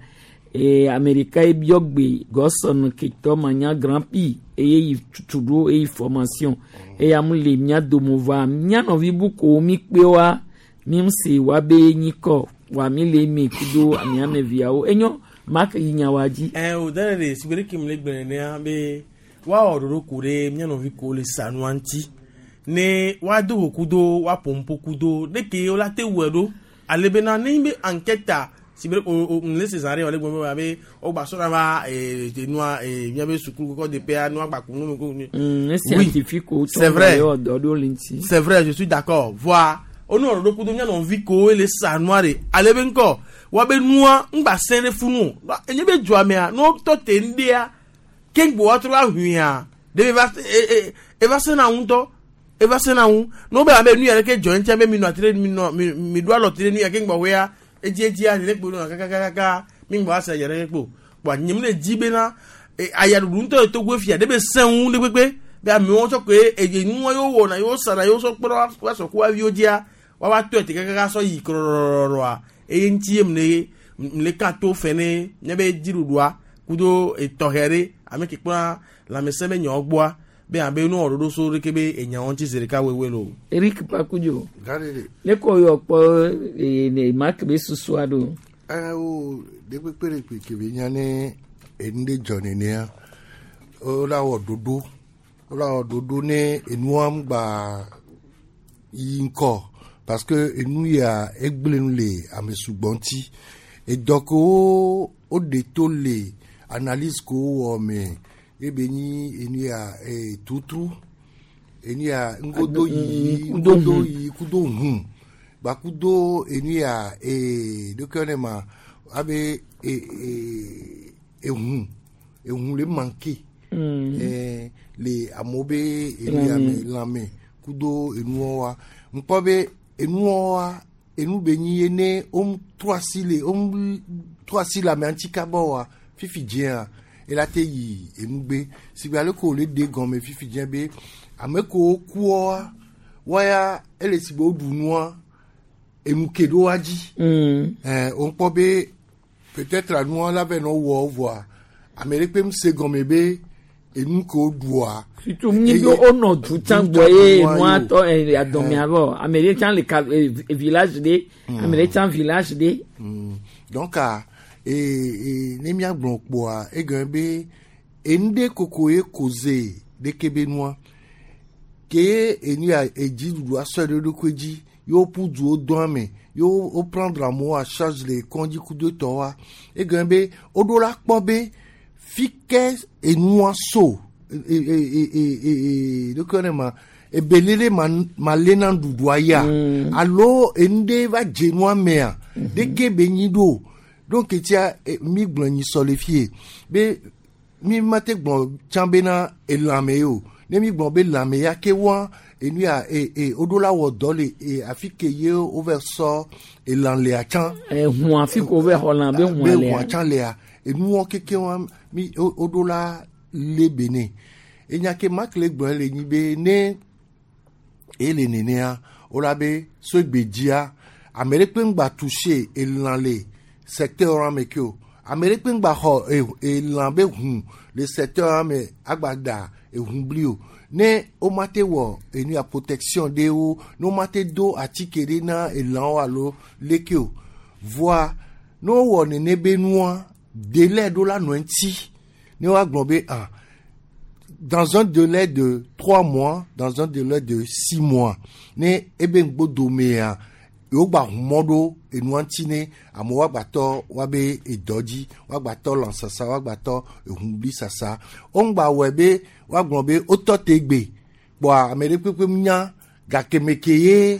e Amerika ebiɔgbe Gɔsɔn ketɔ manya Grand Prix eye yi tutu ɖo eye formation eya mu le mía dome va mía nɔvi bukuwo mi kpe wa mi se wa be nyikɔ wa mi le eme kudo ame ame viawo enyo Marc yi nya wa dzi. Ɛ o dɛ de sigbe kim le gbɛnɛ nea be woawɔ ɖoɖo ku ɖe mía nɔvi ko le sanua ŋuti ne woado go kudo woaƒo ŋpo kudo ɖeke wola te wɔe ɖo ale bena ne be enquête si be o o le Césarée wòle gbɔn be abe wogba sɔna va ee nua ee míabe sukulu kɔkɔ de pea nua gba ku nu ko. Mm, scientifique wo c'est vrai tɔn dɔ ɖo le ŋuti. C'est vrai, je suis d'accord. Voa wonɔ ɖoɖo kudo mía nɔvi kowo le sanua de ale be ŋkɔ woabe nua ŋgba sẽ ɖe funu o enye be dua mea ne wotɔ te ŋɖea keŋgbo woatrɔ va huia ɖe eva e eva sẽna ŋutɔ eva sẽna ŋu ne wobe abe nu ya ɖeke dzɔ ŋutia be mi nɔ ati ɖe mi nɔ mi mi ɖo alɔ ti ɖe nu ya keŋgbɔ woea edzi edzia ɖe kpo nɔ kakakaka mi ŋgbɔ ase dza ɖe kpo kpoa nye mi le dzi bena ayaɖuɖu ŋutɔ le Togo fia ɖe be sẽ ŋu ɖe kpekpe be amewo tsɔ koe eye nua yewo wɔna yewo sana yewo sɔ kpɔ ɖe woasɔ ku aviwo dzia woava tɔ ete kakaka sɔ yi krɔrɔrɔa eye ŋuti ye mle mle ka to fɛ ne míabe dziɖuɖua kudo etɔxɛ ɖe ame ke kpɔna lãmesẽ be nyawo gbɔa be abe nu wɔ ɖoɖo so ɖeke be enyawo ŋuti zi ɖeka woewoe lo. Eric Pakudzo Gaɖeɖe. ne ko yɔ kpɔ ee ne Marc be susua ɖo. Ɛ wo ɖe kpekpe ɖe kpe ke be nya ne enu ɖe dzɔ nenea wola wɔ ɖoɖo wola wɔ ɖoɖo ne enua ŋgba yi ŋkɔ parce que enu ya egblẽ nu le ame sugbɔ ŋuti edɔ kewo woɖe to le analyse kewo wɔ me ebe nyi enu ya ee tutru enu ya ŋgodo yiyi ŋgodo yiyi kudo hũ gbakudo enu ya ee ɖeke ne ma abe ee ee ehũ ehũ le manque Mm. ɛɛ le amewo be enu ya me lãme kudo enuwo wa ŋkpɔ be enuwo wa enu be nyi ye ne wom trɔ asi le wom trɔ asi le amea ŋuti kaba wa fifi dzea ela te yi enugbe sigbe ale ko wòle ɖe gɔme fifi dzea be ame kewo kuɔ wa ya ele si be woɖu nua enu ke ɖo wa dzi Mm. ɛɛ wokpɔ be peut-être nua la vɛ nɔ wɔ voa ame ɖe kpe se gɔme be enu ke woɖua Surtout mi be wonɔ du tsã gbɔ ye nua tɔ ɛ adɔmea vɔ ame ɖe tsã le ka e village ɖe ame ɖe tsã village ɖe. Mm. Donc a e e ne míagblɔ kpoa egɔme be enu ɖe koko ye koze ɖeke be nua ke enu ya edziɖuɖu asɔe ɖe eɖokui dzi ye woƒu duwo dɔa me ye wo wo prendre amewo à charge le kɔndzi kudo tɔwoa egɔme be woɖo la kpɔ be fi ke enua so e e e e e e ɖeke ne ma ebelele ma ma lé na nuɖuɖua ya alo enu ɖe va dze nua mea ɖeke be nyi ɖo donc tia e, mi gblɔ nyi sɔ le fie be mi ma te gblɔ tsã bena elãme ye o ne mi gblɔ be lãme ya ke wa enu ya e e woɖo la wɔ dɔ le e afi ke ye wova sɔ elã lea tsã. Ehun afi ko wova xɔ lã be hũa be lea. hũa tsã lea enuwɔ keke wa mi wo woɖo la lé be nɛ enya ke Marc le gblɔ le nyi be ne ele nenea wola be so gbedzia ame ɖe kpe ŋgba toucher elã le secteur wa me ke o ame ɖe kpe ŋgba xɔ e- elã be hũ le secteur wa me agba da ehũ bli o ne woma te wɔ enu ya protection ɖewo ne woma te do atike ɖe na elãwo alo leke o voa ne wowɔ nene be nua délai ɖo la nɔ eŋuti ne woagblɔ be ah dans un délai de trois mois, dans un délai de six mois. Ne ebe ŋgbodomea, yewo gba ʋu mɔ ɖo enua ŋuti ne amewo woagbatɔ woabe edɔ dzi, woagbatɔ lãsasa, woagbatɔ ehuŋbli sasa. Woŋgba wɔe be woagblɔ be wotɔ te gbe kpoa ame ɖe kpekpe nya gake me ke ye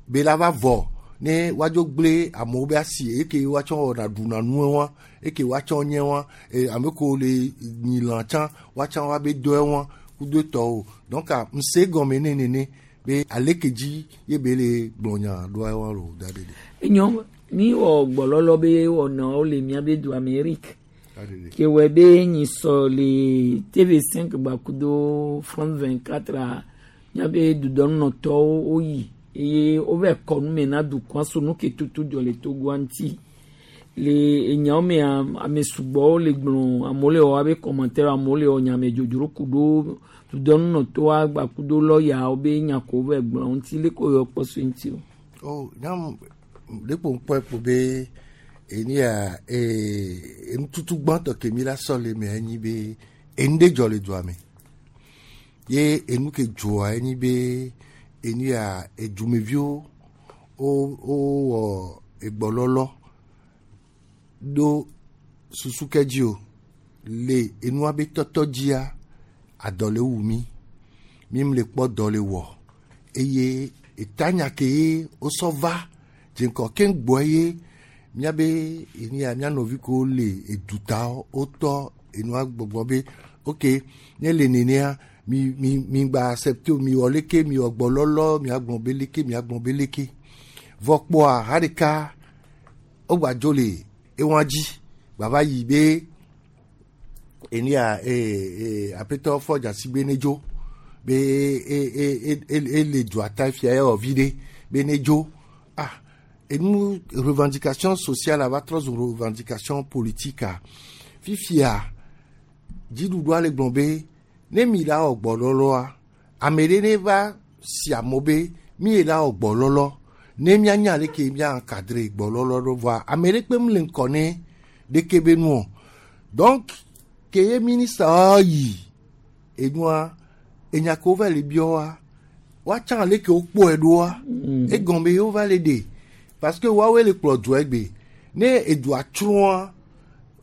be la va vɔ ne woadzo gblẽ amewo be asi eke woatsɔ wɔna ɖuna nue wa eke woatsɔ nye wa e, ame kewo le nyi lã tsã woatsã woabe dɔe wa kudo tɔwo donc ŋse gɔme ne nene be aleke dzi ye be le gblɔ nya ɖoa wa lo da ɖe ɖe. Enyo mi wɔ gbɔlɔlɔ be wɔnawo le miabe dua me Eric ke wɔ be nyi sɔ le T V cinq gbakudo France vingt-quatre a miabe dudɔnunɔtɔwo woyi Eye wova kɔ nu me na dukɔa so nu ke tutu dzɔ le Togoa ŋuti. Le enyawo mea, ame sugbɔwo le gblɔ, amewo le wɔ abe commentaire, amewo le wɔ nyame dzodzro ku ɖo dudɔnunɔtɔa gba ku ɖo lɔyawo be nya ko wova gblɔ ŋuti le ko yɔ kpɔ so ŋuti o. Oh, nyam ɖe kpo ŋkpɔe kpo be eni ya ee enututu gbãtɔ ke mi la sɔ le me enyi be enu ɖe dzɔ le dua me. Ye enu ke dzɔa enyi be enu ya edumeviwo wo wowɔ egbɔlɔlɔ ɖo susu ke dzi o le enua be tɔtɔ dzia adɔ le wu mi mi le kpɔ dɔ le wɔ eye etanya ke ye wosɔ va dzeŋkɔ keŋ gbɔ ye miabe enu ya mia nɔvi kewo le eduta wotɔ enua gbɔgbɔ be ok ne le nenea mi mi mi gba accepte o mi wɔ leke mi wɔ gbɔlɔlɔ miagblɔ be leke miagblɔ be leke vɔ kpɔa ha ɖeka wogba dzo le ewa dzi gbava yi be enu ya ee ee aƒetɔ fɔ dzasigbe ne dzo be e e e e ele dua ta fia ewɔ vi ɖe be ne dzo ah enu revendication sociale va trɔ zu revendication politique a fifia dziɖuɖua le gblɔ be ne mi la wɔ gbɔlɔlɔa ame ɖe ne va si amewo be mi ye la wɔ gbɔlɔlɔ ne mianya leke mia encadre gbɔlɔlɔ ɖo vɔa ame ɖe kpe mu le ŋkɔ ne ɖeke be nu o donc ke ye ministre yi enua enya ke wova le biɔ woatsã leke wokpɔe ɖoa egɔme ye wova le ɖe parce que woawoe le kplɔ dua egbe ne edua tsrɔ̃a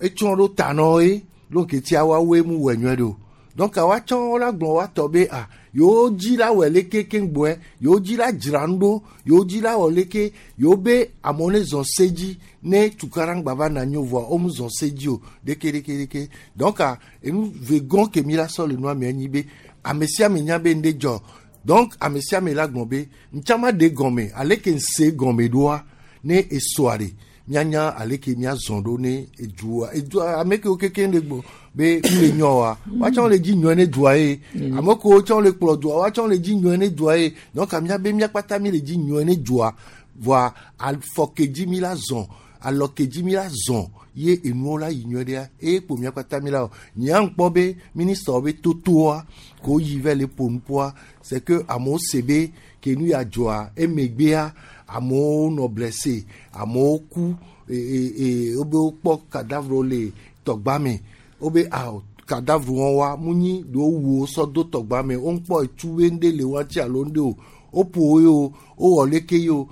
etsrɔ̃ ɖo ta nɔ ye donc etia woawoe mu wɔ nyuie ɖo donc woatsã wola gblɔ woatɔ be ah yewo dzi la wɔ leke keŋ gbɔe yewo dzi la dzra nu ɖo yewo dzi la wɔ leke yewo be amewo ne zɔ se dzi ne tukaɖa va na nyo vɔa wo mu zɔ se dzi o ɖeke ɖeke ɖeke donc enu ve gɔn ke mi la sɔ le nua me enyi be ame sia ame nya be ŋɖe dzɔ donc ame sia ame la gblɔ be ŋtsama ɖe gɔme ale ke ŋse gɔme ɖoa ne esoa ɖe mianya ale ke miazɔ ɖo ne edua edua ame kewo keke ɖe gbɔ be nu le nyɔ wa woatsã le dzi nyɔe ne dua ye ame kewo tsã le kplɔ dua woatsã le dzi nyɔe ne dua ye donc miabe miakpata mi le dzi nyɔe ne dua voa afɔ ke dzi mi la zɔ alɔ ke dzi mi la zɔ ye enuwo la yi nyɔe ɖea eye kpo miakpata mi la o nyea ŋkpɔ be ministre be totoa ko yi va le ƒo nuƒoa c'est que amewo se be ke nu ya dzɔa emegbea amewo nɔ blessé amewo ku e e e wobe wokpɔ cadavre le tɔgba me wobe ah cadavre wɔn wa mu nyi ɖewo wu wo sɔ do tɔgba me wo ŋkpɔ etu be ŋɖe le wa ŋuti alo ŋɖe o woƒo wo ye o wowɔ leke ye o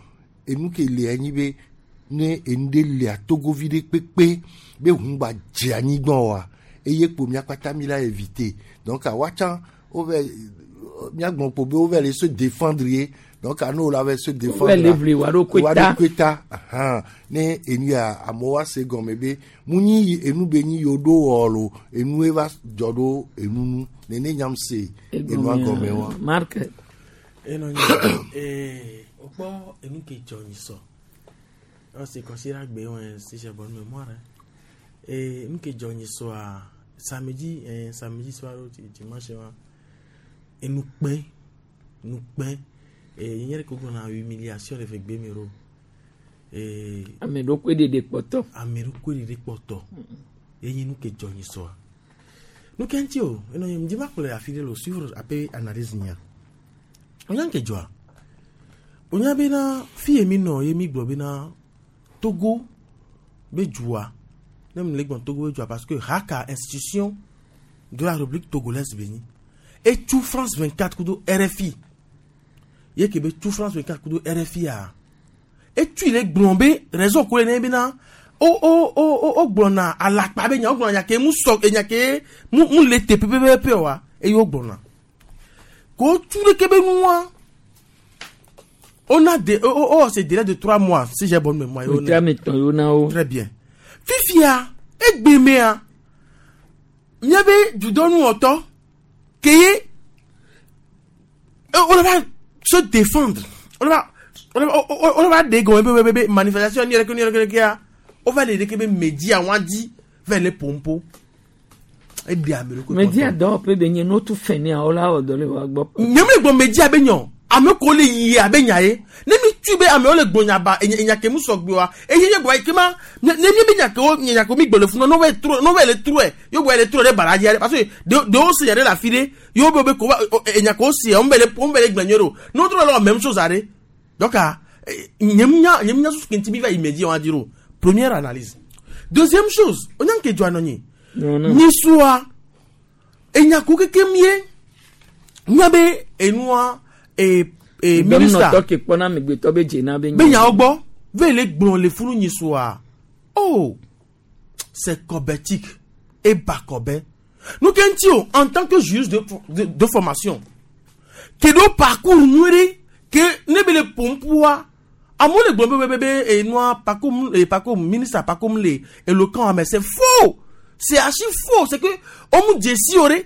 enu ke le anyi be ne enu ɖe lia togovi ɖe kpekpe be ʋu gba dze anyigba oa eye kpo miakpata mi la éviter donc woatsã wove miagblɔ kpo be wove le se défendre ye donc ano la va se défendre le vli wa ɖokui wa ta. ɖokui ta ahan ne enu ya amewo ase gɔme be mu nyi enu be nyi yewo ɖo wɔ lo enue va dzɔ ɖo enu nu nene nyam se enua gɔme wa. Marc enɔ nyi ee wokpɔ enu ke dzɔ nyi sɔ ɔsi kɔsi ɖe gbe wɔn si j'ai bonne mémoire hein. ee nu ke dzɔ nyi sɔa samedi eh, samedi soir o dimanche wa enu kpɛ nu kpɛ ee nye ɖe ko gblɔna humiliation le fe gbe mi ro ee ame ɖokui ɖeɖe kpɔtɔ ame ɖokui ɖeɖe kpɔtɔ ye nye nu ke dzɔ nyi sɔa nu ke ŋuti o enɔ nye ŋdi ma kplɔ afi ɖe le o suivre ape analyse nya onya nke dzɔa onya bena fi ye mi nɔ ye mi gblɔ bena Togo be dua ne mi le gblɔ Togo be dua parce que haka institution de la République togolaise be nyi etu France vingt-quatre kudo R F I ye ke be tu France vingt-quatre kudo R F I a etu le gblɔ be raison ko le ne bena o o o o o gblɔna alakpa be nya o gblɔna nya ke mu sɔ enya ke mu mu le te pɛpɛpɛ wa eye o gblɔna ko tu ɖeke be nua on a des oh, oh, oh c'est délai de trois mois si j'ai bonne mémoire. Wòtí ame etɔ̃ yewo na wo. Très bien, fifia egbemea miabe dudɔnuwɔtɔ ke ye on va se défendre, on va on va on va ɖe gɔme be be be manifestation ni yɛrɛ ke ni yɛrɛ ke kea o va le ɖe ke be media wa di va le pompo eɖe ame ɖokui. Media dɔwɔƒe be nye notu fɛ ne awo la wɔ dɔ le wa gbɔ. Nye me gbɔ media be nyɔ. Ame ko le yi abe nya ye. Ne mi tu be ame le gbonya ba enya ke mu sogbe wa. Eye ye gbo ke ma ne mi be nya ke o nya ko mi gbole fun no ve trop no ve le trop yo bo le trop de baraji parce que de de o se yare la file yo be be ko enya ko si on be le on be le gbenyero. No trop la même chose are. Donc nyem nya nyem nya su kinti bi va immédiat on dire première analyse. Deuxième chose, on a que doit noni. Ni soa enya ko keke mie nya be enua e e ministre ke pona megbeto be jena be be nya ogbo ve le gbon le funu ni soa. Oh, c'est cobétique et bakobé. Nous kentio en tant que juge de de, de formation que do parcours nyure que ne be le pompoa amo le gbon be be e noa parcours et parcours ministre parcours le éloquent mais c'est faux. C'est archi faux, c'est que on mu djesi ore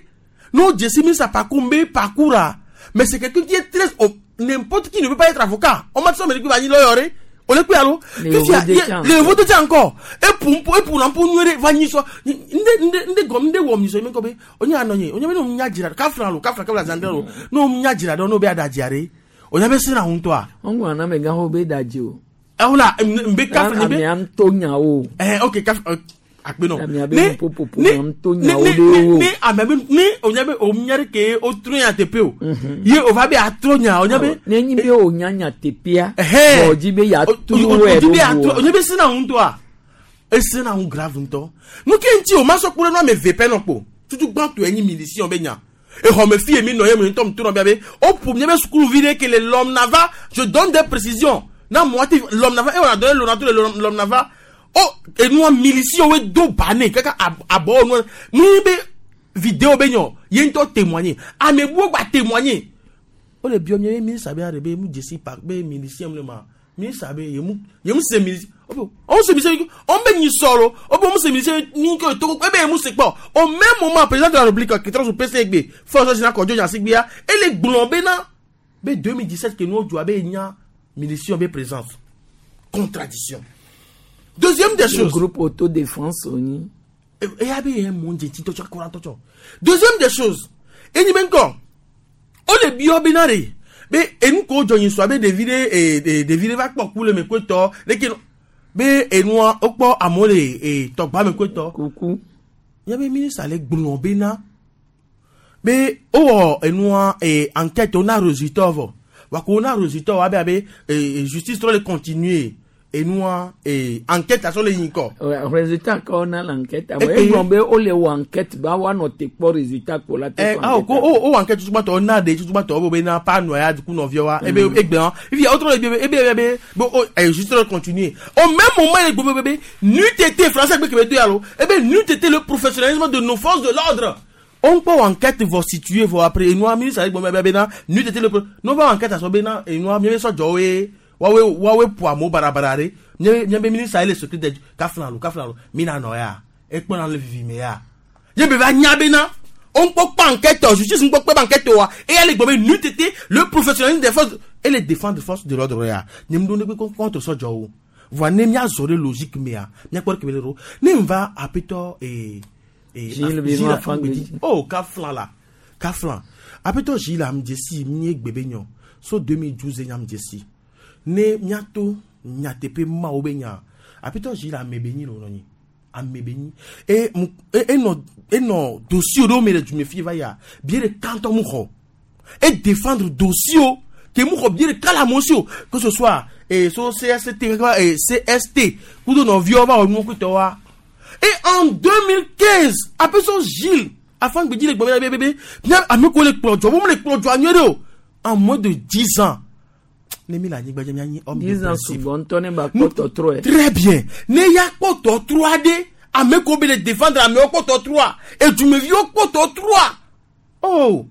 non djesi ministre parcours be parcours mais c'est quelqu'un qui est très oh, n'importe qui ne peut pas être avocat. On m'a dit ça mais qui va ni lawyer on le allo le vote tient encore et pour et pour l'empo nyere va ni so nde nde nde gom nde wo mi so me ko be onya anonye onya be no nya jira ka fra lo ka fra ka la zandero no nya jira do no be adajiare onya be sina hun to a ongo ana me ga ho be daji o eh ola mbe ka fra be am to nya o eh OK ka akpe no ne ne ne amebe ne onya be o ke o tro nya tepe o ye o va be atro nya onya be ne nyi be o nya nya tepia o ji be ya tro e o onya be sina hun to a e sina hun grave nto nu ke nti o ma so kure no me vepe no po tutu gban to enyi milicien be nya e ho me fie mi no ye mi ntom to no be be o pou mi be school vide que le l'homme nava je donne des précisions na moi l'homme nava et on a donné l'homme l'homme nava. Oh, et nous, milicien, we do bané, kaka abo, nous, nous, be, vidéo, be, yen to témoigner. Ah, mais vous, va témoigner. Oh, le bio, mi, ministre, be, be, mou, jesi, par, be, milicien, le ma, ministre, be, yemou, yemou, c'est milicien. Oh, on se milicien, on be, ni solo, oh, bon, c'est milicien, ni que, to, eh, be, mou, c'est pas. Au même moment, président de la République, qui est au P C B, Force Générale Kodjo, Yansik, et les blombé, na, be, deux mille dix-sept, que nous, doit, be, nya, milicien, be, présence. Contradiction. Deuxième des choses. Le groupe autodéfense, Oni. Et deuxième des choses. Et ni encore. On est bio binare. Mais et nous ko joyin so be devire et devire va po kule me kweto. Leke be et nous o po amole et togba me kweto. Coucou. Y avait ministre ale gbon bena. Mais oh et nous et enquête on a résultat va. Wa ko on a résultat wa be be justice trop le continuer. Et nous, et enquête à sur les encore. Ouais, résultat quand on a l'enquête. Et bon, ben, on les enquête, bah, on a pas résultat pour la tête. Ah, oh, oh, oh, enquête, tout le monde, on a des, tout le monde, on a pas noyade, du coup, non, vieux, et ben, et ben, et puis, autre, et ben, et ben, bon, et juste continuer. Au même moment, les bébés, n'eût été français, mais que allo, et ben, n'eût été le professionnalisme de nos forces de l'ordre. On peut enquête vont situer, vont après, et nous, ministre, avec bon, ben, ben, n'eût été le, nous, va enquête à son ben, et nous, mieux, soit, Joey, wawe wawe poamo barabarare nye nye be ministre ele secret de kaflan lo kaflan lo mina no ya e pon na le vivi me ya ye be va nya be na on peut pas enquête justice on peut pas enquête wa et elle gbobe n'eût le professionnalisme des forces et les défense des forces de l'ordre ya nye me donne contre so jo voa ne mi azore logique me ya mi akor ke belero ne va apeto et et Gilles Benoît oh kaflan la kaflan apeto Gilles am desi mi gbebe nyo so deux mille douze nyam desi ne miato nyatepe ma obenya apito jila amebeni lo noni amebeni e e no e no dossier do me du me fi va ya bien le canton mu et défendre dossier que mu bien le kala monsieur que ce soit et so C S T et C S T kudo no vieux va no kuto wa et en deux mille quinze apito Gilles afin de dire le bébé bébé bien ameko le projo mo le projo anyero en moins de dix ans. dix ans souvent, très bien. Ne ya poto trois D, à me ko be défendre à me poto trois et tu me vieux poto trois. Oh.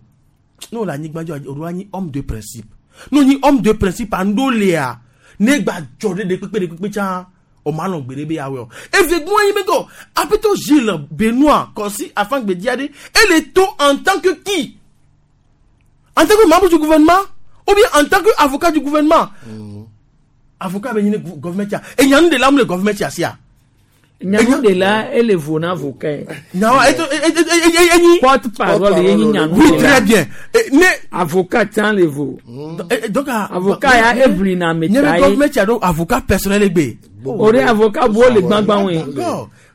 Non la nigba jo homme de principe. Non ni homme de principe andolea. Ne gba jode de pepe de pepe cha. O ma lon gbere be yawe o. Effectivement, il me go. Apeto Gilles Benoît Kossi afin que diade et le taux en tant que qui? En tant que membre du gouvernement ou bien en tant qu'avocat du gouvernement. Mmh. Avocat ben gouvernement. Et il y a de l'âme le gouvernement tia. Nyanu de la ele vo na avocat. Non, et porte parole ye nyanu. Oui, très bien. Ne avocat tan le vo. Donc avocat ya evli na ne metaye. government ya do avocat personnel egbe. Ore avocat bo le gbangban we.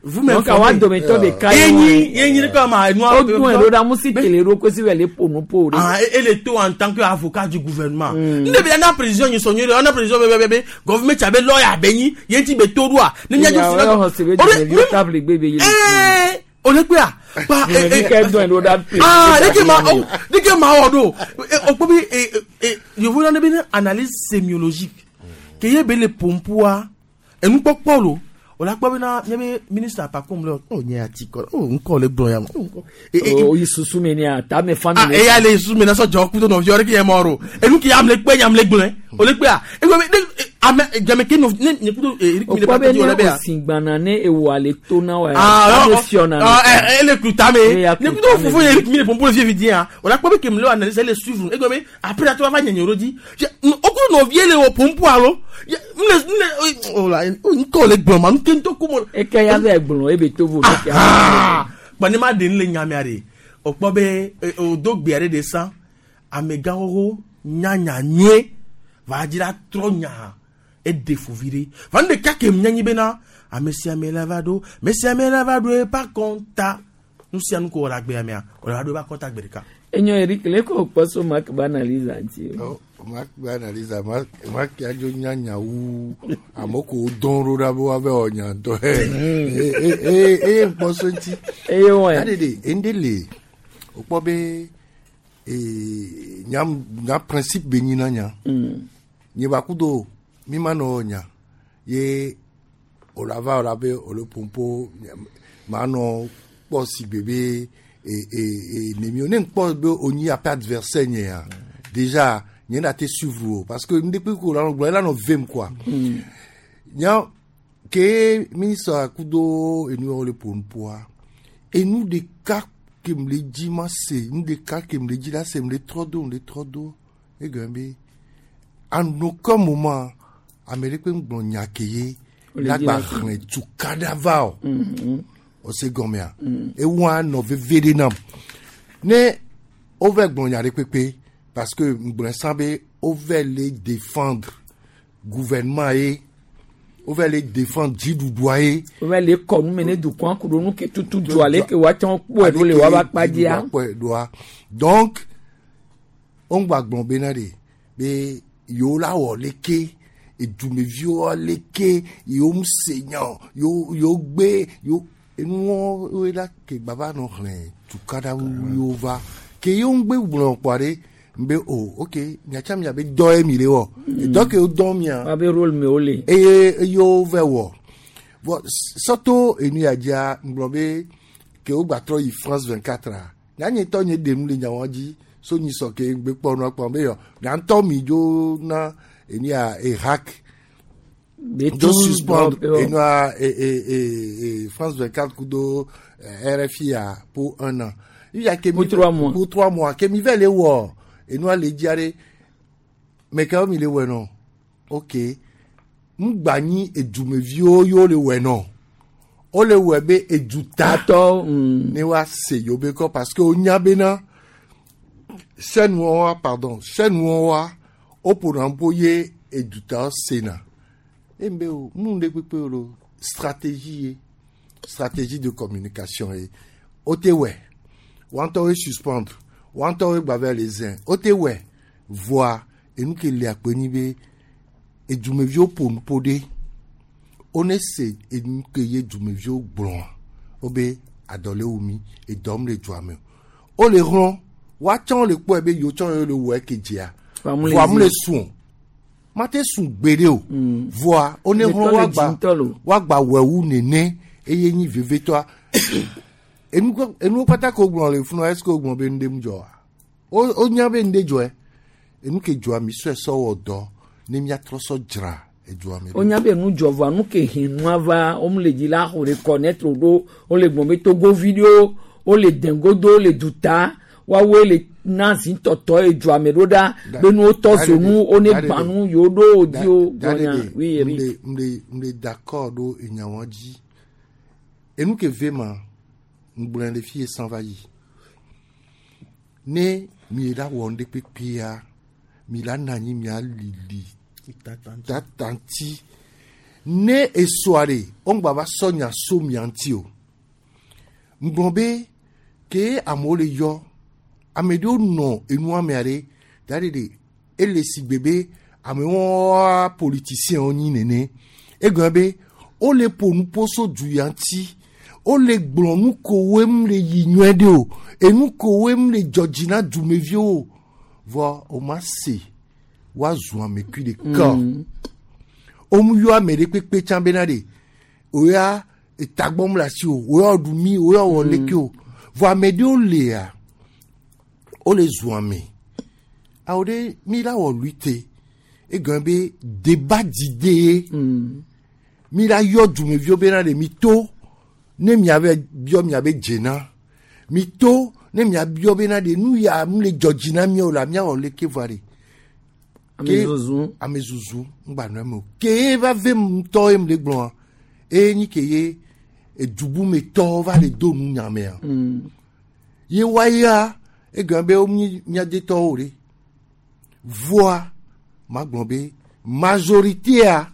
Vous m'informez. Donc awa dometɔ de ka ye. Enyi enyi comme a O dun ero da musi tele ro ko si wele ponu po re. Ah, et le tout en tant qu'avocat du gouvernement. Ne be na président ni sonye, na président be be be government ya be lawyer benyi, ye ti be to droit. Ne nya ju si table gbe be ye. Eh, o le pe a. Pa eh eh. Ah, de ke ma de ke ma odo. O po bi eh eh je vous donne une analyse sémiologique. Ke ye be le pompoa enu popo lo. O la gbọ́ bí náà nyẹ́ bí mínísítà Pacom lọ ọ nyẹ́ àti kọ́ ọ nkọ́ lè gbọ́n ya mọ́. O yi susu mi ni a ta mi fa mi. Ah eya le susu mi na sọ jọ kuto nọfi ọrẹ kì í yẹ mọ ọrọ enu kì í yà mle pé yà mle gbọ́n o lè pé a ego mi ne ame jẹmẹ kí ne ne kuto eri mi le O pati kɔ o lẹ bɛ bẹ ne ya. osin gbana ne ewo ale to na wa. Ah ɔ fiɔna. ɔ ɛ ele kuta mi ne kuto fufu ye mi le pompo le fi di yan o la kpɔ bi kemi le analyse le suivre ego mi après la to va nyɛ nyoro di o ko nɔvie le o pompo alo n le n le o la n kɔ le gbɔn ma n ke n to ko mo. Eke ya bɛ gblɔ ebe to vo. Kpɔni ma de n le nyamia de o kpɔ be o do gbe aɖe de san amegãwo nyanya nyuie va dzi la trɔ nya eɖe fovi ɖe va nu ɖeka ke mianyi bena ame sia ame la va ɖo ame sia ame la va ɖo eƒe akɔnta nu sia nu ko wɔ le agbea mea wòle va ɖo eƒe akɔnta gbe ɖeka. Enyo Eric le ko kpɔ so Mark ba analyse anti. Mark ba analyse Mark Mark ya dzo nyanya wu ame ko dɔn ɖo ɖa be woava wɔ nya ŋutɔ eye eye ŋkpɔ so ŋuti. Eye wɔe. Ya ɖeɖe ende le wokpɔ be ee nya nya principe be nyi na nya. Nye ba kudo mi ma nɔ nya ye wòle va wòle be wòle pompo ma nɔ kpɔ si gbe be e e e nemi ne ŋkpɔ be onyi aƒe adversaire nye ya déjà nye na te suivre o parce que ndekpe ko la nɔ gblɔ ela nɔ vem quoi. Nya ke ministre kudo enu wòle pompoa enu ɖeka ke m le dzi ma se nu ɖeka ke m le dzi la se m le trɔ do m le trɔ do egɔme be en aucun moment ame ɖe kpe ŋgblɔ nya ke ye la gba xlẽ tukaɖa va o o se gɔmea ewa nɔ veve ɖe nam ne wova gblɔ nya ɖe kpekpe parce que ŋgblɔ sã be wova le défendre gouvernement ye wova le défendre dziɖuɖua ye. Wova le kɔ nu me ne dukɔa ku ɖo nu ke tutu du ale ke woatsɔ kpɔe ɖo le woava kpa dzia. Kpɔe ɖoa donc wongba gblɔ bena ɖe be yewo la wɔ leke edumeviwo leke yewo mu se nya o yewo yewo gbe yewo enuwo woe la ke gbava nɔ xlẽ tukaɖa yewo va ke yewo ŋgbe gblɔ kpɔ ɖe nbe o ok miatsa miabe dɔ ye mi le wɔ dɔ ke wo dɔn mia. Wabe rôle me wo le. Eye eye wo vɛ wɔ bɔn sɔto enu ya dzia ŋgblɔ be ke wo gba trɔ yi France vingt-quatre a nyanye tɔ nye ɖem le nyawo dzi so nyi sɔ ke ŋgbe kpɔ nua kpɔ be yɔ nyantɔ mi dzo na enu ya e hack dzo suspendre enua e e e e France vingt-quatre kudo R F I a pour un an. Pour trois mois. Pour trois mois ke mi vɛ le wɔ enua le dzia ɖe mɛ kewo mi le wɔ nɔ ok ŋgba nyi edumeviwo yewo le wɔ nɔ wo le wɔ be edutatɔ ne wa se yewo be kɔ parce que wonya bena sɛnuwo wa pardon sɛnuwo wa woƒona ƒo ye edutawo sena embe o nu ɖe kpekpe o lo stratégie ye stratégie de communication ye o te wɛ woantɔwoe suspendre woantɔwoe gba va le zẽ o te wɛ voa enu ke le akpe nyi be edumeviwo ƒo nu ƒo ɖe wone se enu ke ye dumeviwo gblɔa wobe adɔ le wu mi edɔm le dua me o wole hlɔ̃ woatsã le kpɔe be yewo tsã yewo le wɔe ke dzia voa mu le sùn mate sùn gbeɖe o voa wone hlɔ̃ woagba woagba wɔe wu nene eye nyi vevetɔa enuwo kpata ke wogblɔ le funua est ce que wogblɔ be nu ɖe mu dzɔa wonya be nu ɖe dzɔe enu ke dzɔa mi sɔe sɔ wɔ dɔ ne miatrɔ sɔ dzra edua me. Wonya be nu dzɔ voa nu ke he nua va wo le dzi la xɔ reconnaître ɖo wole gblɔ be togovi ɖewo wole dɛngodo wole duta woawoe le na zi tɔtɔ edua me ɖo ɖa be nuwo tɔ zonu wone gbã nu yewo ɖo wodi wo gbɔnya oui Eric. M le m le d'accord ɖo enyawo dzi Enu ke ve ma ŋgblɔe le fie san va yi. Ne mi la wɔ ŋɖe kpekpea mi la na anyi mia lili tatanti. Ne esɔa ɖe wo ŋgba va sɔ nya so mia ŋuti o. Ŋgblɔ be ke amewo le yɔ ame ɖewo nɔ enua mea ɖe da ɖe ɖe ele si gbe be amewo politicien wo nyi nene. Egblɔ be wole ƒo nuƒo so du ya ŋuti wole gblɔ nu kowoe mu le yi nyuie ɖe o enu kowoe mu le dzɔ dzi na dumeviwo o vɔ o ma se woazu amekui ɖeka Mm. o mu yɔ ame ɖe kpekpe tsã bena ɖe o ya etagbɔ mu le asi o o ya ɖu mi o ya wɔ leke o vɔ ame ɖewo lea wole zu ame awo ɖe mi la wɔ lutte egɔme be débat d'idée mi la yɔ dumeviwo bena ɖe mi to ne miabe biɔ miabe dzena mi to ne miabiɔ bena ɖe nu ya mu le dzɔ dzi na miawo la miawɔ leke vɔa ɖe Ame zuzu. ame zuzu ŋgba nɔ eme o ke va ve ŋutɔ ye mu le gblɔa eye nyi ke ye edubumetɔwo va le do nu nyamea Mm. ye wa ya egɔme be wo nyi miadetɔwo ɖe voa magblɔ be majoritéa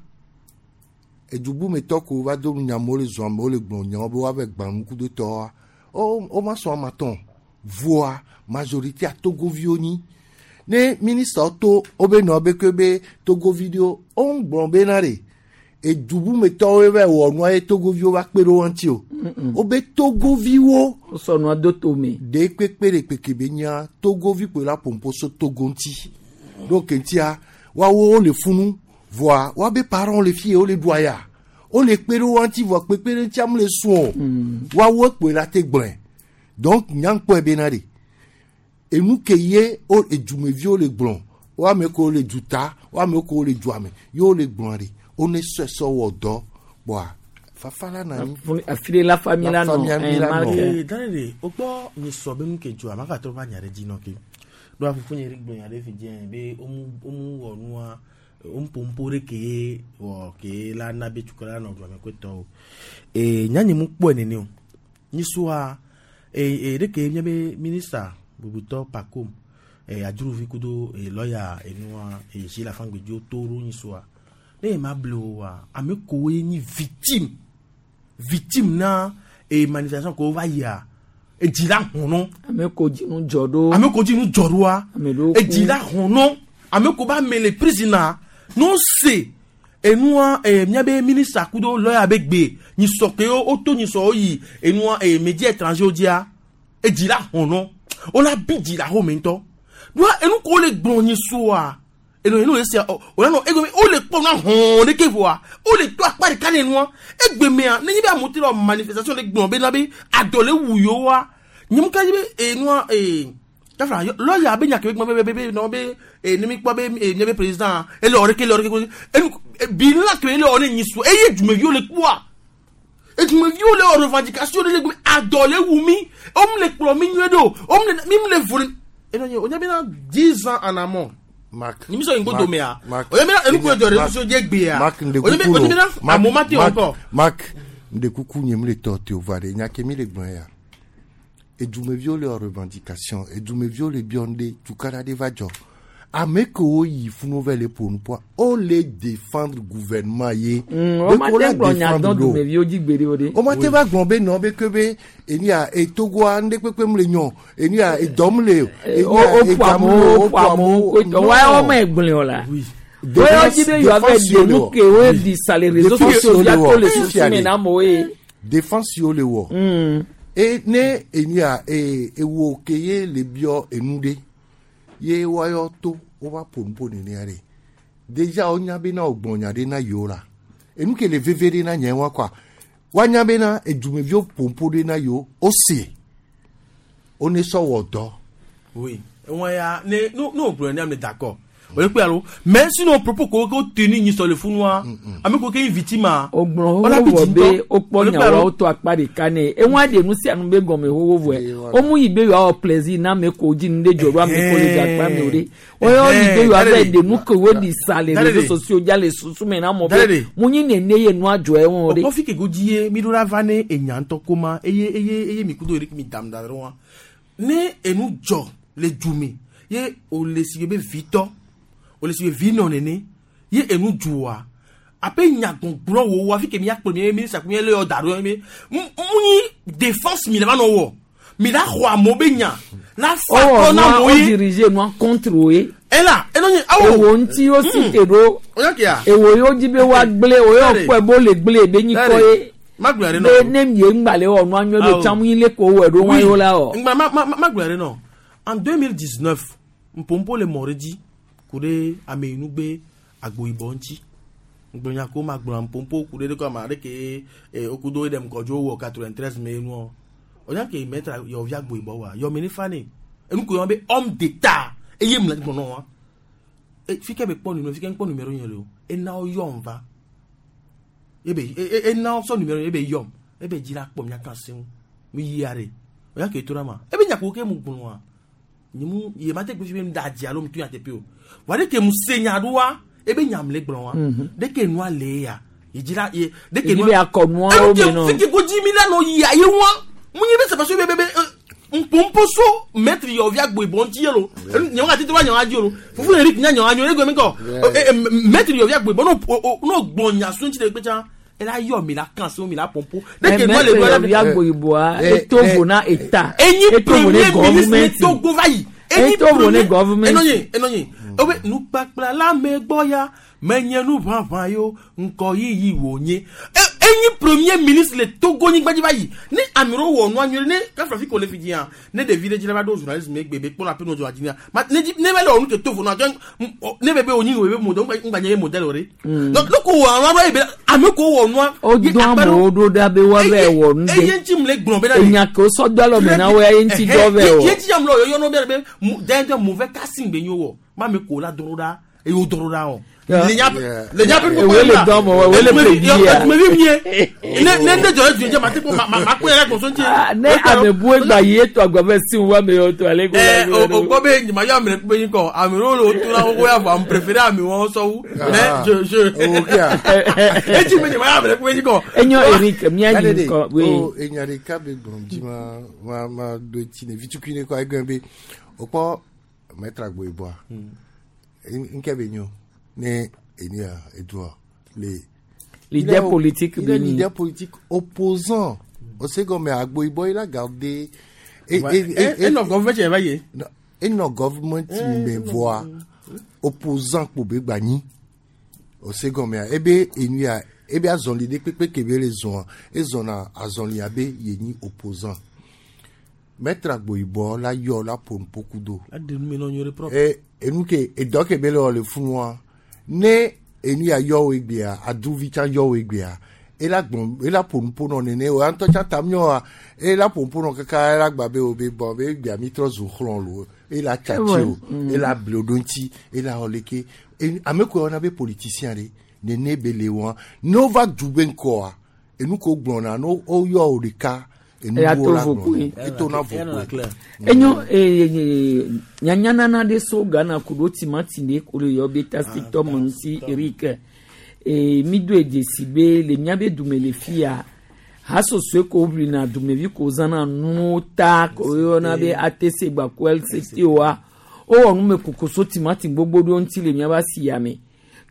edubumetɔ ko va do nu nyamewo le zɔn amewo le gblɔ nyawo be woave gbã nukudotɔwoa wo wo ma sɔn amatɔn voa majoritéa togoviwo nyi ne ministre to wobe nɔ be ke be togovi ɖewo wo ŋu gblɔ bena ɖe edubumetɔwo va wɔ nua ye togoviwo va kpe ɖe wo ŋuti o wobe togoviwo wosɔ nua do tome ɖe kpekpe ɖe kpeke be nya togovi kpe la ƒoƒo so togo ŋuti ɖo ke ŋutia woawo wole funu voa woabe parents le fie wole ɖu aya wole kpe ɖe wo ŋuti voa kpekpe ɖe ŋutia mu le sùn o woawo kpe la te gblɔe donc nyankpɔe bena ɖe enu ke ye wo edumeviwo le gblɔ wo ame kewo le duta wo ame kewo le dua me ye wole gblɔa ɖe wo ne sɔe sɔ wɔ dɔ kpɔa fafa la na anyi. afi ɖe la famille la La nɔ famille eh, la Marc. nɔ. Ee, dane de o kpɔ nye sɔ be nu ke dzɔa maka trɔ va nya ɖe dzi nɔ ke ɖo afufu nye ɖe gblɔ nya ɖe fi dze be womu womu wɔ nua womu ƒoƒo ɖe ke ye wɔ ke la na be tukɔ la nɔ dua me kpetɔwo ee nya nye mu kpɔe nene o nyisua ee ee ɖe ke míabe minista bubutɔ Pacôme ee adzrovi kudo ee lɔya enua ee Gilles Afangbedzo to ɖo nyisua ne ye ma ble o wa ame kowoe nyi victime victime na ee manifestation ko va yia edzi la hɔn ame ko dzi nu dzɔ ɖo ame ko dzi nu dzɔ ɖoa ame ɖewo ku. edzi la hɔn ame ko ba me le prison na n'o se enua ee míabe ministre kudo lɔya be gbe nyisɔ ke wo to nyisɔ wo yi enua ee média étranger wo dzia edzi la hɔn wo la bi dzi la home ŋutɔ doa enu ko le gblɔ nyisɔa enu enu esia ɔ o la nɔ egbe wo le kpɔ nua hɔn ɖeke voa wo le to akpa ɖeka ne nua egbe mea nenye be amewo te le wɔ manifestation le gblɔ bena be adɔ le wu yewoa nye mu ka dzi be enua ee kafla lɔya be nya ke be gblɔ be be be nɔ be ee ne mi kpɔ be ee nye be président ele wɔ ɖeke ele wɔ ɖeke enu bilan ke ele wɔ ne nyisu eye dumeviwo le kpɔa edumeviwo le wɔ revendication ɖe le gbe adɔ le wu mi wo mu le kplɔ mi nyuie ɖo wo mu le mi mu le vo le enu nye o nye bena dix ans en amont Marc. ni mi sɔ yin ko Marc, domea Marc. o nye bena enu ko dzɔ Marc, réseaux dze gbea Marc nde o nye be kuku o nye lo. bena Marc, amewo ma te Marc, encore Marc nde kuku nye mu le tɔ te o va ɖe nya ke mi le gblɔ ya edumeviwo le wɔ revendication edumeviwo le biɔ ŋɖe tukaɖa ɖe va dzɔ ame kewo yi funu va le ƒo nuƒoa wo le défendre gouvernement ye. Mm, wo ma Ɖeko te la gblɔ nya défendre dɔn ɖo. dumeviwo dzi gbeɖe o ɖe. o ma te va gblɔ be nɔ be ke be enia etogoa ŋɖe kpekpe mu le nyɔ enia edɔ mu le o o o ƒo amewo o ƒo amewo ko tɔ wa wo me gblẽ o la. Wo dzi be yewoa va ɖe nu ke wo di sa le réseaux sociaux via to le susu me na amewo ye. défense yiwo le wɔ e ne enia e ewo ke ye le biɔ enu ɖe ye woayɔ to wova ƒo nuƒo nenea ɖe déjà wonya bena wògblɔ nya ɖe na yewo la enu ke le veve ɖe na nye wa kɔa woanya bena edumeviwo ƒo nuƒo ɖe na yewo wose wone sɔ wɔ dɔ. oui wọn ya ne no no gblɔ ne ame d'accord O le alo mais sinon propos ko ko tenu ni sur le fou noir ame ko ke victime a o gblɔ xoxo vɔ be wokpɔ nyawo wotɔ akpa ɖeka nɛ eŋua ɖe nu sia nu be gɔme xoxo vɔe womu yi be yewoawɔ plaisir na ame ko dzi nu ɖe dzɔ ɖo ame ko le gakpa me o ɖe woyɔ yi be yewoava ɖe nu ke wo ɖi sa le réseaux sociaux dza le susu me na mɔ be mu nyi nene ye nua dzɔ ewɔ ɖe. O kɔfi ke go dzi ye mi ɖo la va ne enya ŋutɔ koma eye eye eye mi kudo eri mi dam da ɖe wa ne enu dzɔ le du me ye o le si be vitɔ o le si be vinɔ nene ye enu dzɔa ape nyagbɔgblɔ wo wa fi ke mia kplɔ mi ministre mi le yɔ da ɖo mi mu nyi défense mi le va nɔ wɔ mi la xɔ amewo be nya la fa kɔ na amewo o ye dirige nua contre wo ye. ela eno nye awo ewo ŋuti wo si te ɖo ewo yewo dzi be woagblẽ wo yɔ kpɔe be wole gblẽ be nyikɔ ye. Magblɔ ɖe be nɔ ne mie ŋgbalẽ wɔ nua nyuie ɖo tsã mu nyi le ko wɔ ɖo wɔn yewo la wɔ. Ngba ma ma magblɔ ɖe nɔ en deux mille dix-neuf mpompo le mɔ ɖe dzi ku ɖe ameyinugbe agboyibɔ ŋuti ngblɔnya ko ma gblɔ mpompo ku ɖe ɖe ko ame aɖe ke e okudo ɖe ŋkɔdzo wɔ quatre-vingt-treize me nuɔ onya ke maître yɔvi agboyibɔ wa yɔmi ne fa ne enu ko yɔ be homme d'état eye mu le gbɔnɔ wa e fi ke be kpɔ numéro fi ke kpɔ numéro nye le o ena wo yɔm va ebe e ena sɔ numéro ebe yɔm ebe dzi la kpɔ mia kan se ŋu mi yia ɖe onya ke to ɖa ma ebe nya ko ke mu gblɔ wa nye mu ye ma te gbe fi be mu da dzi alo mu tu nya teƒe o wa ɖe ke mu se nya ɖo wa ebe nya mu le gblɔ wa ɖe ke nua le ya ye dzi la ye ɖe ke Edzi be akɔ nuawo me nɔ. fi ke ko dzi mi la nɔ yia ye wa mu nye be sɛpɛsɛ be be be mpompo so maître yɔvi agboyibɔ ŋuti ye lo nye wa tete wa nye wa dzi lo fufu le ri nya nye wa nyo ego mi kɔ maître yɔvi agboyibɔ n'o n'o gbɔ nya so ŋuti ɖe kpe tsã ela yɔ mi la kan se mi la pompo Mais maître yɔvi agboyibɔa eto vo na eta enyi eto vo ne premier ministre gɔvumɛnti Togo va yi enyi eto vo ne gɔvumɛnti. enɔnye enɔnye obe nukpakpla la me gbɔ ya menye nu ʋaʋã yo ŋkɔ yiyi wònye E- enyi premier ministre le Togo nyigba dzi va yi ne ame ɖewo wɔ nua nyuie ne kafrafi ko le fi dzia ne ɖevi ɖe dzi la va ɖo journalisme egbe be kpɔna pe no dzɔ dzi ma ne dzi ne va le wɔ nu ke to vo nua ke ne be be wònyi wòye be modèle ŋgba nye ye modèle o ɖe donc ne ko wɔ nua ɖo ye be ame ko wɔ nua o dɔn amewo ɖo ɖa be woava wɔ nu eye ɖe ŋuti mu le gblɔ be na enya ke wosɔ do alɔme na wo ya ye ŋuti dɔ vɛ ye wɔ. ŋuti ya mu le yɔyɔ be be d'ailleurs mauvais casting be nyo wɔ ma me ko la dɔrɔ ɖa eye wo dɔrɔ ɖa o. Le nya le nya pe Ewe le dɔn mɔ ewe le prédit ya. Tumevi mie ne ne ne jɔ edu dze ma te ko ma ma ma ko yɛrɛ gbɔsɔn tse. Ne ame bu egba yi eto agba fɛ si wa me yɔ to ale ko. Ɛ o o gbɔ be nyima yɔ ame ɖe kpe nyi kɔ ame ɖewo le wo to na wo ya vɔ ame préféré ame wɔn sɔwu mais je je etsi me nyima yɔ ame ɖe kpe nyi kɔ. Enyo Eric mia nyi kɔ we. we. O enya ɖeka be gblɔm dzi ma ma ma do etsi ne vitukui ne kɔ egblẽ be o kpɔ maître agboyibɔa ŋkɛ be nyo ne enu ya edua le. Leader Il est- politique il est be nyi. leader politique opposant o se gɔme agboyibɔ il a gardé. Ouais. E- e nɔ government yɛ va ye. enɔ government me voa opposant kpo be gba nyi o se gɔmea ebe enu ya ebe azɔli ɖe kpekpe ke be le zɔa ezɔna azɔli abe ye nyi opposant maître agboyibɔ la yɔ la ƒo nuƒo do Aɖe nu me nɔ nyuie ɖe propre. e enu ke edɔ ke be le wɔ le funua ne enu ya yɔ wo egbea aduvi tsã yɔ wo egbea ela gbɔn ela ƒo nuƒo nɔ nene o ŋutɔ tsã tam nyɔa ela ƒo nuƒo nɔ kaka ela gba be o be bɔn be egbea mi trɔ zu xlɔ lo ela tsatsi o Mm. ela ble o ɖo ŋuti ela wɔ leke E- ame ko wɔna be politicien ɖe nene be le wɔa ne wova du be ŋkɔa enu ko gblɔna ne wo yɔ wo ɖeka enu Eya wo to la vo gblɔna koe. eto na vo koe. Enyo eh, nyanyanana ɖe so Ghana ku ɖo timati ɖe ko le yɔ be tasitɔ me ŋuti Eric eh, mi do dzesi be le miabe dume le fia hasosoe ko woʋlina dumevi ko zãna nuwo ta ko woyɔna be ATC gbako LCT wa wowɔ numekuku so timati gbogbo ɖewo ŋuti le miabe asia me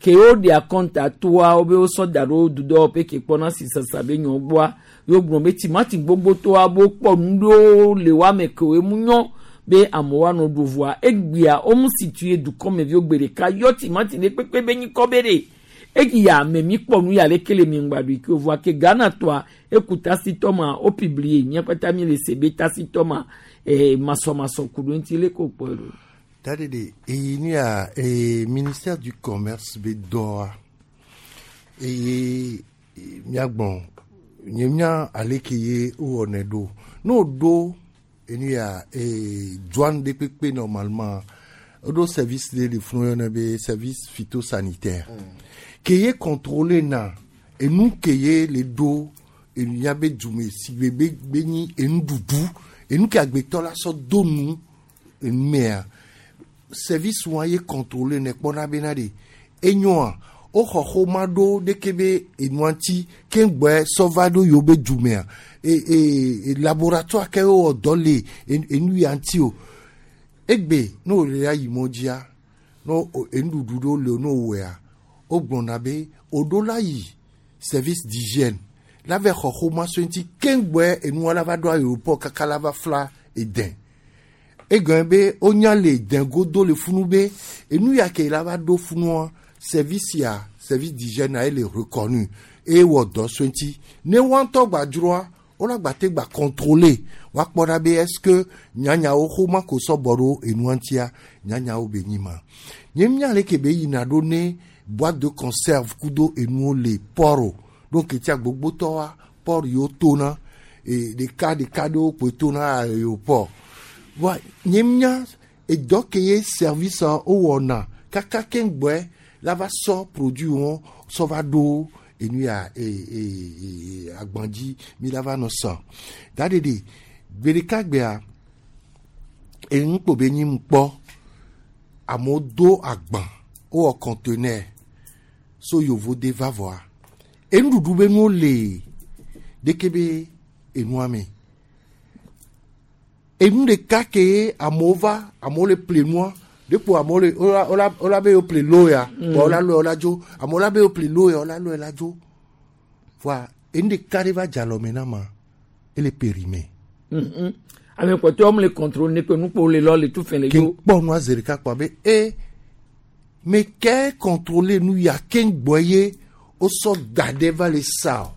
ke woɖe akɔnta toa wobe wosɔ da ɖo dudɔwɔƒe ke kpɔna sisasa be nyɔ gbɔa ye wogblɔ be timati gbogbo toa be wokpɔ nu ɖewo le woame ke woe mu nyɔ be amewo anɔ ɖu voa egbea womu situe dukɔmeviwo gbe ɖeka yɔ timati ɖe kpekpe be nyikɔ be ɖe eya ame mi kpɔ nu ya leke le mi ŋgba ɖui ke o voa ke Ghana tɔa eku tasitɔ ma wo publie mía kpata mi le se be tasitɔ ma eh, masɔmasɔ ku ɖo ŋuti leke wokpɔe ɖo. Dadede, eyi nu ya eh, ministère du commerce be dɔa eye miagbɔn nye mía ale ke ye wowɔnɛ ɖo ne woɖo enu ya eh, douane ɖe kpekpe normalement Odo service de le funu yɔna be service phytosanitaire. Ke ye contrôler na enu ke ye le do enu ya be dume si be be be nyi enu dudu enu ke agbetɔ la sɔ do nu enu mea service wa ye contrôler ne kpɔna bena de enyoa woxɔ xoma ɖo ɖeke be enua ŋuti keŋgbɔe sɔ va ɖo yewo be dumea e e e laboratoire ke wowɔ dɔ le en- enu ya ŋuti o egbe ne wòle ayi mɔ dzia ne wo- enuɖuɖu ɖewo le ne wowɔea wogblɔna be woɖo la yi service d'hygiène la va xɔ xoma so ŋuti keŋgbɔe enua la va ɖo aéroport kaka la va fla eden egɔme be wonya le den godo le funu be enu ya ke la va ɖo funua service ya service d'hygiène a ele reconnu eye wɔ dɔ so ŋuti ne woa ŋutɔ gba dzroa wola gba te gba contrôler woakpɔ ɖa be est ce que nyanyawo xoma ko sɔ bɔ ɖo enua ŋutia nyanyawo be nyi ma nye mía le ke be yina ɖo ne boîte de conserve kudo enuwo le port o donc etia gbogbotɔwoa port yiwo tona e ɖeka ɖeka ɖewo kpoe tona aéroport wa nye mía edɔ ke ye service a wowɔna kaka keŋgbɔe la va sɔ produit wɔn sɔ va ɖo enu ya e e e agban dzi mi la va nɔ sɔ da ɖeɖe gbe ɖeka gbea enu kpo be nyi kpɔ amewo do agban wowɔ conteneur so yovo de va vɔa enuɖuɖu be nuwo le ɖeke be enua me enu ɖeka ke ye amewo va amewo le ple nua ɖekpo amewo le wola wola wola be yewo ple lo ya Mm. bɔn wola lɔe wola dzo amewo la be yewo ple lo ya wola lɔe la dzo voa enu ɖeka ɖe va dze alɔme na ma ele périmé Mhm. ame kpɔtɔwo mu le contrôle ne pe nukpo le lɔ le tu fɛn le ke yo kpɔ nua zi ɖeka kpɔ be e me ke contrôler nu ya ke gbɔ ye wosɔ da ɖe va le sa o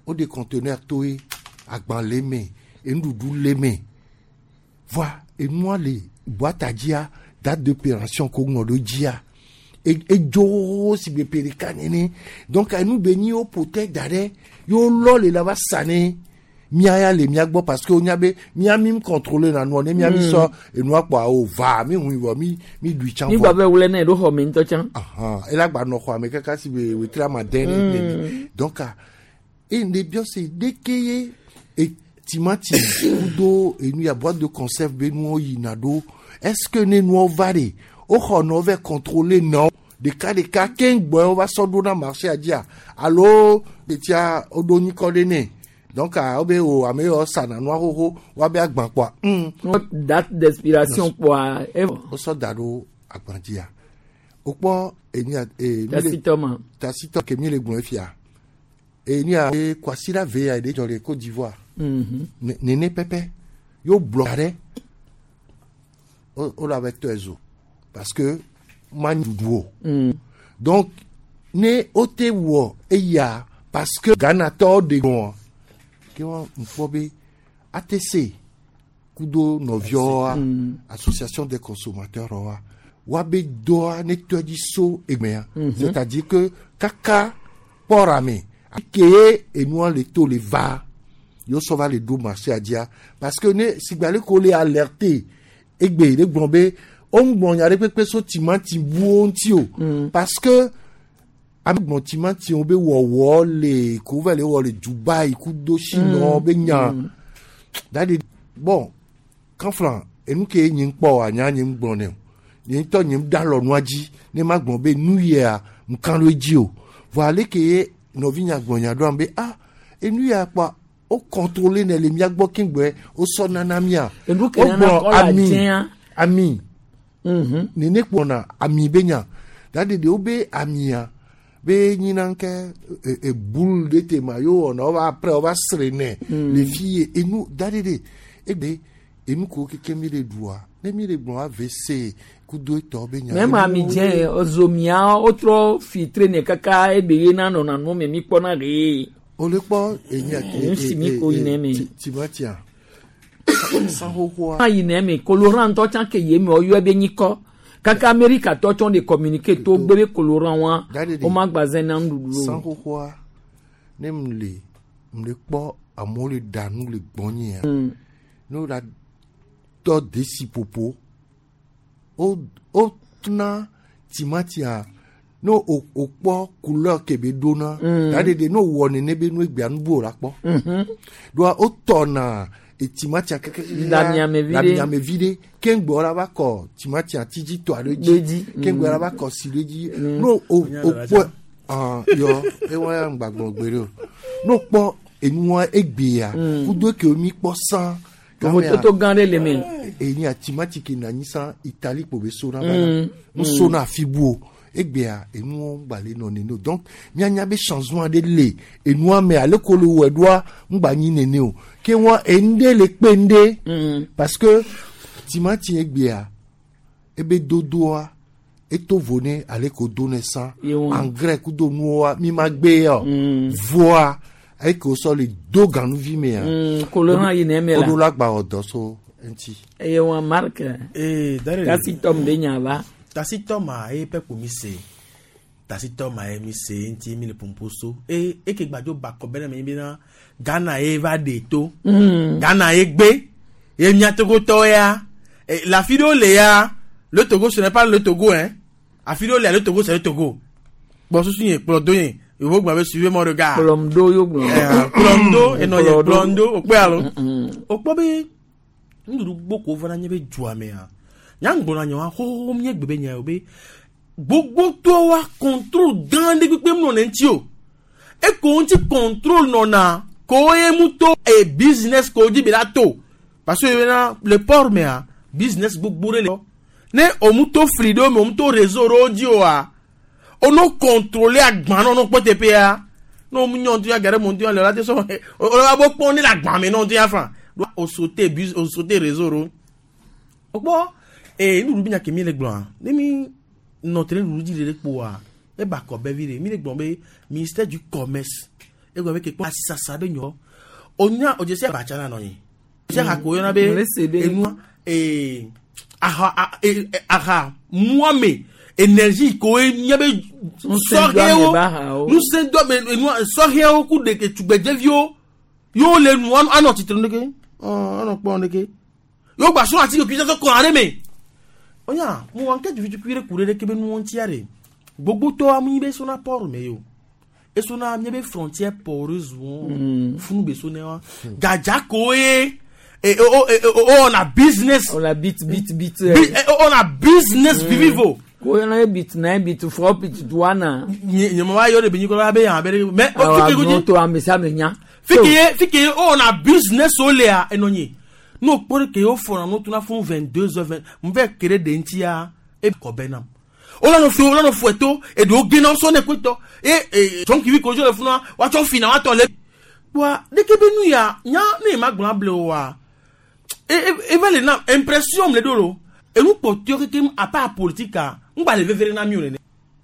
wode conteneur to ye agban le me enuɖuɖu le me voa enua le boîte dzia date de péremption ko ŋlɔ ɖo dzia E- edzo si gbe pe ɖeka nene donc enu be nyi wo ƒote da ɖe ye wolɔ le la va sa ne mía ya le mía gbɔ parce que wonya be mía mi contrôler na nua ne mía mi Mm. sɔ enua kpɔa o va mi hui vɔ mi mi ɖui tsã mi gba bɛ wlɛ nɛ ɖo xɔ me ŋutɔ tsã Ahan, ela gba nɔ xɔa me kaka si be wetri ama dɛ ne Mm. ne donc ah, e ne biɔ se ɖeke ye e timati kudo enu ya boîte de conserve be nuwo yina ɖo est ce que ne nuwo va ɖe woxɔ nɔ vɛ contrôler nɔ ɖeka ɖeka keŋgbɔe wova sɔ ɖo na marché dzia alo ɖetia woɖo nyikɔ ɖe nɛ donc ah, wobe o ame yawo sana nua xoxo woabe agban kpɔa mm. date d'expiration kpɔa evɔ wosɔ da ɖo agban dzia wokpɔ enu ya e, mi le- Tasitɔ ma. tasitɔ ke mi le gblɔ fia enu ya e kwasiɖa ve ya ɖe dzɔ le Côte d'Ivoire Mhm. Ne- nene pɛpɛ yo blɔ ɖe wo wo la bɛ tɔe zo parce que ma ɖuɖu o Mm. donc ne wote wɔ eya parce que Ghana tɔwo de gbɔn ke wɔn ŋkpɔ be ATC kudo nɔviawoa Mm. association des consommateurs wa woabe dɔa ne tɔe dzi so egbea Mhm. c'est-à-dire que kaka pɔra me ke ye enua le to le va yewo sɔ va le ɖo marché dzia parce que ne sigba le ko le alerté egbe le gblɔ be woŋgblɔ nya ɖe kpekpe so timati buwo ŋuti o parce que ame gblɔ timatiwo be wɔwɔ le ko va le wɔ le Dubai kudo Chine be nya Mm. dadi bon kanflan enu ke nye ŋkpɔ wa nya nye ŋgblɔ ne o nye ŋutɔ nye da lɔ nua dzi ne ma gblɔ be nu yia ŋkan ɖo edzi o vɔ ale ke ye nɔvinya gblɔ nya ɖo am be ah enu ya kpɔa wo contrôler ne le mía gbɔ keŋgbɛ wosɔ nana mía Enu ke nana kɔ la dzẽa. ami nene kpɔna ami be nya dadi de wo be amia be nyina ke e, e boule de te ma yo wɔna wo va après wo va sre nɛ Mm. le fi ye enu dadi de egbe enu ko keke mi le ɖua ne mi le gblɔ AVC kudo etɔ be nya mɛ ami dzẽ ozomia wotrɔ filtre ne kaka ebe ye na nɔna nu me mi kpɔna ɖe o le kpɔ enya Nu si mi ko yi ne me. timatia san xoxoa ayi ne me colorant ŋutɔ tsã ke ye me woyɔe be nyikɔ kaka amerika tɔ tsɔ de communiqué to gbe be colorant wa Dadi de. woma gbazɛ na nuɖuɖu san o. xoxoa ne m le m le kpɔ amewo le ɖa nu le gbɔnyea Mm. ne wo la tɔ desi popo o o tuna timatia no o o kpɔ couleur ke be dona Mm. da de de no wɔ nene be nu egbea nu bu o la kpɔ Mhm. doa o tɔna etimatia keke La miame vi ɖe. la miame vi ɖe keŋgbɔ la va kɔ timatia tidzi tɔ aɖe Ɖe dzi dzi. keŋgbɔ la Mm. va kɔ si ɖe dzi no o o kpɔ ah yɔ ewa ya ŋgbagbɔ gbe ɖe o no kpɔ enua egbea Mm. kudo ke mi kpɔ sã Vovototo gã ɖe le me. enyi atimati ke na anyi sã Italie kpo be sona Mm. va na Mm. sona afi bu o egbea enuwo ŋgba le nɔ nene o donc mianya be changement aɖe le enua me ale ko le wɔe ɖoa ŋgba nyi nene o ke wɔn enu le kpe ŋɖe Mm. parce que timati egbea ebe dodoa eto vo ne ale ko do ne sã Ye wɔn. engrais kudo nuwoa mi ma gbe ya o voa eke wosɔ le do ganuvi mea Mm, kolo hã yina eme la. woɖo la gba wɔ dɔ so eŋuti. Eye wɔn Mark. Eh, Darele. Kasi tɔm be nya va. Tasitɔ ma ye pɛ ko mi se tasitɔ ma ye mi se ŋuti mi le pompo so e eke gbadzo bakɔ bɛ ne mi bena Ghana ye va ɖe to Mm. Ghana ye gbe ye mia Togotɔ ya e, le afi ɖewo le ya le Togo ce n'est pas le Togo hein afi ɖewo le le Togo c'est le Togo kplɔ susu nye kplɔ do nye yovo gblɔ be suivez mon regard Kplɔm ɖo yo gblɔ. Eh, kplɔm do enɔ nye Kplɔ ɖo. kplɔm do o kpe alo Mm. o kpɔ be nuɖuɖu gboko vana nye be dua mea nyaŋgbɔna nye wa xoxoxo nye gbe be nya o be gbogbotɔwoa contrôle gã ɖe kpekpe mu nɔ ne ŋuti o eko ŋuti contrôle nɔna ko ye mu to e business ko dzi be la to parce que bena le port mea business gbogbo ɖe le ne o mu to fli ɖewo me o mu to réseau ɖewo dzi oa o no contrôler agba nɔ no kpɔ teƒea ne o mu nyɔ ŋuti ya gare mo ŋuti ya le la te sɔ o la bo kpɔm ne le agba me nɔ ŋuti ya fan o sauter bus o sauter réseau ɖewo o kpɔ ee nuɖuɖu bi nya ke mi le gblɔa ne mi nɔ te ɖe nuɖuɖu dzi ɖe kpoa eba kɔ bɛ vi ɖe mi le gblɔ be ministère du commerce egblɔ be ke kpɔ asisasa be nyɔ o nya o dze si abatsa na nɔ nyi o dze hako yɔna be Le se be. enua ee aha a- e- e- aha muame énergie ko ye mía be sɔhɛwo Ŋusẽdoame ba hawo. ŋusẽdoame enua sɔhɛwo ku ɖeke tugbedzeviwo yewo le nu anɔ anɔ tsitre nu ɖeke ɔ anɔ kpɔ ɖeke yewo gba srɔ̃ ati ke sɔ kɔn aɖe me onya mo wa nke tukuitukui ɖe ku ɖe ɖeke be nuwo ŋutia ɖe gbogbotɔ amu be sona port me yo esona mía be frontière poreuse wo Mm. funu be sona wa gadza ko ye e o o e o o na business O la bit bit bit. Bi- eh, o na business vivivo Ko yɔna ye bit na ye bit fɔ bit duana. nye nye ma yɔ de be nyikɔ la be yan be ɖe mais o Awɔ fike ko dzi agbɔn to ame sia ame nya. fike ye fike ye o na business o lea enɔ nye n'o kpɔ ɖe ke ye o fɔna n'o tuna fún vingt deux heures vingt n fɛ kere de ŋutia e kɔ bɛ nam o la nɔ fi o la nɔ fɔ to eɖewo gena sɔ ne koetɔ e e jɔnkivi kodzo le funa woatsɔ fina woatɔ le wa ɖeke be nu ya nya ne ma gblɔ able o wa e e eva le na impression le ɖo lo enu kpɔtɔe kekem apa politika ŋgba le vevere na mi o nene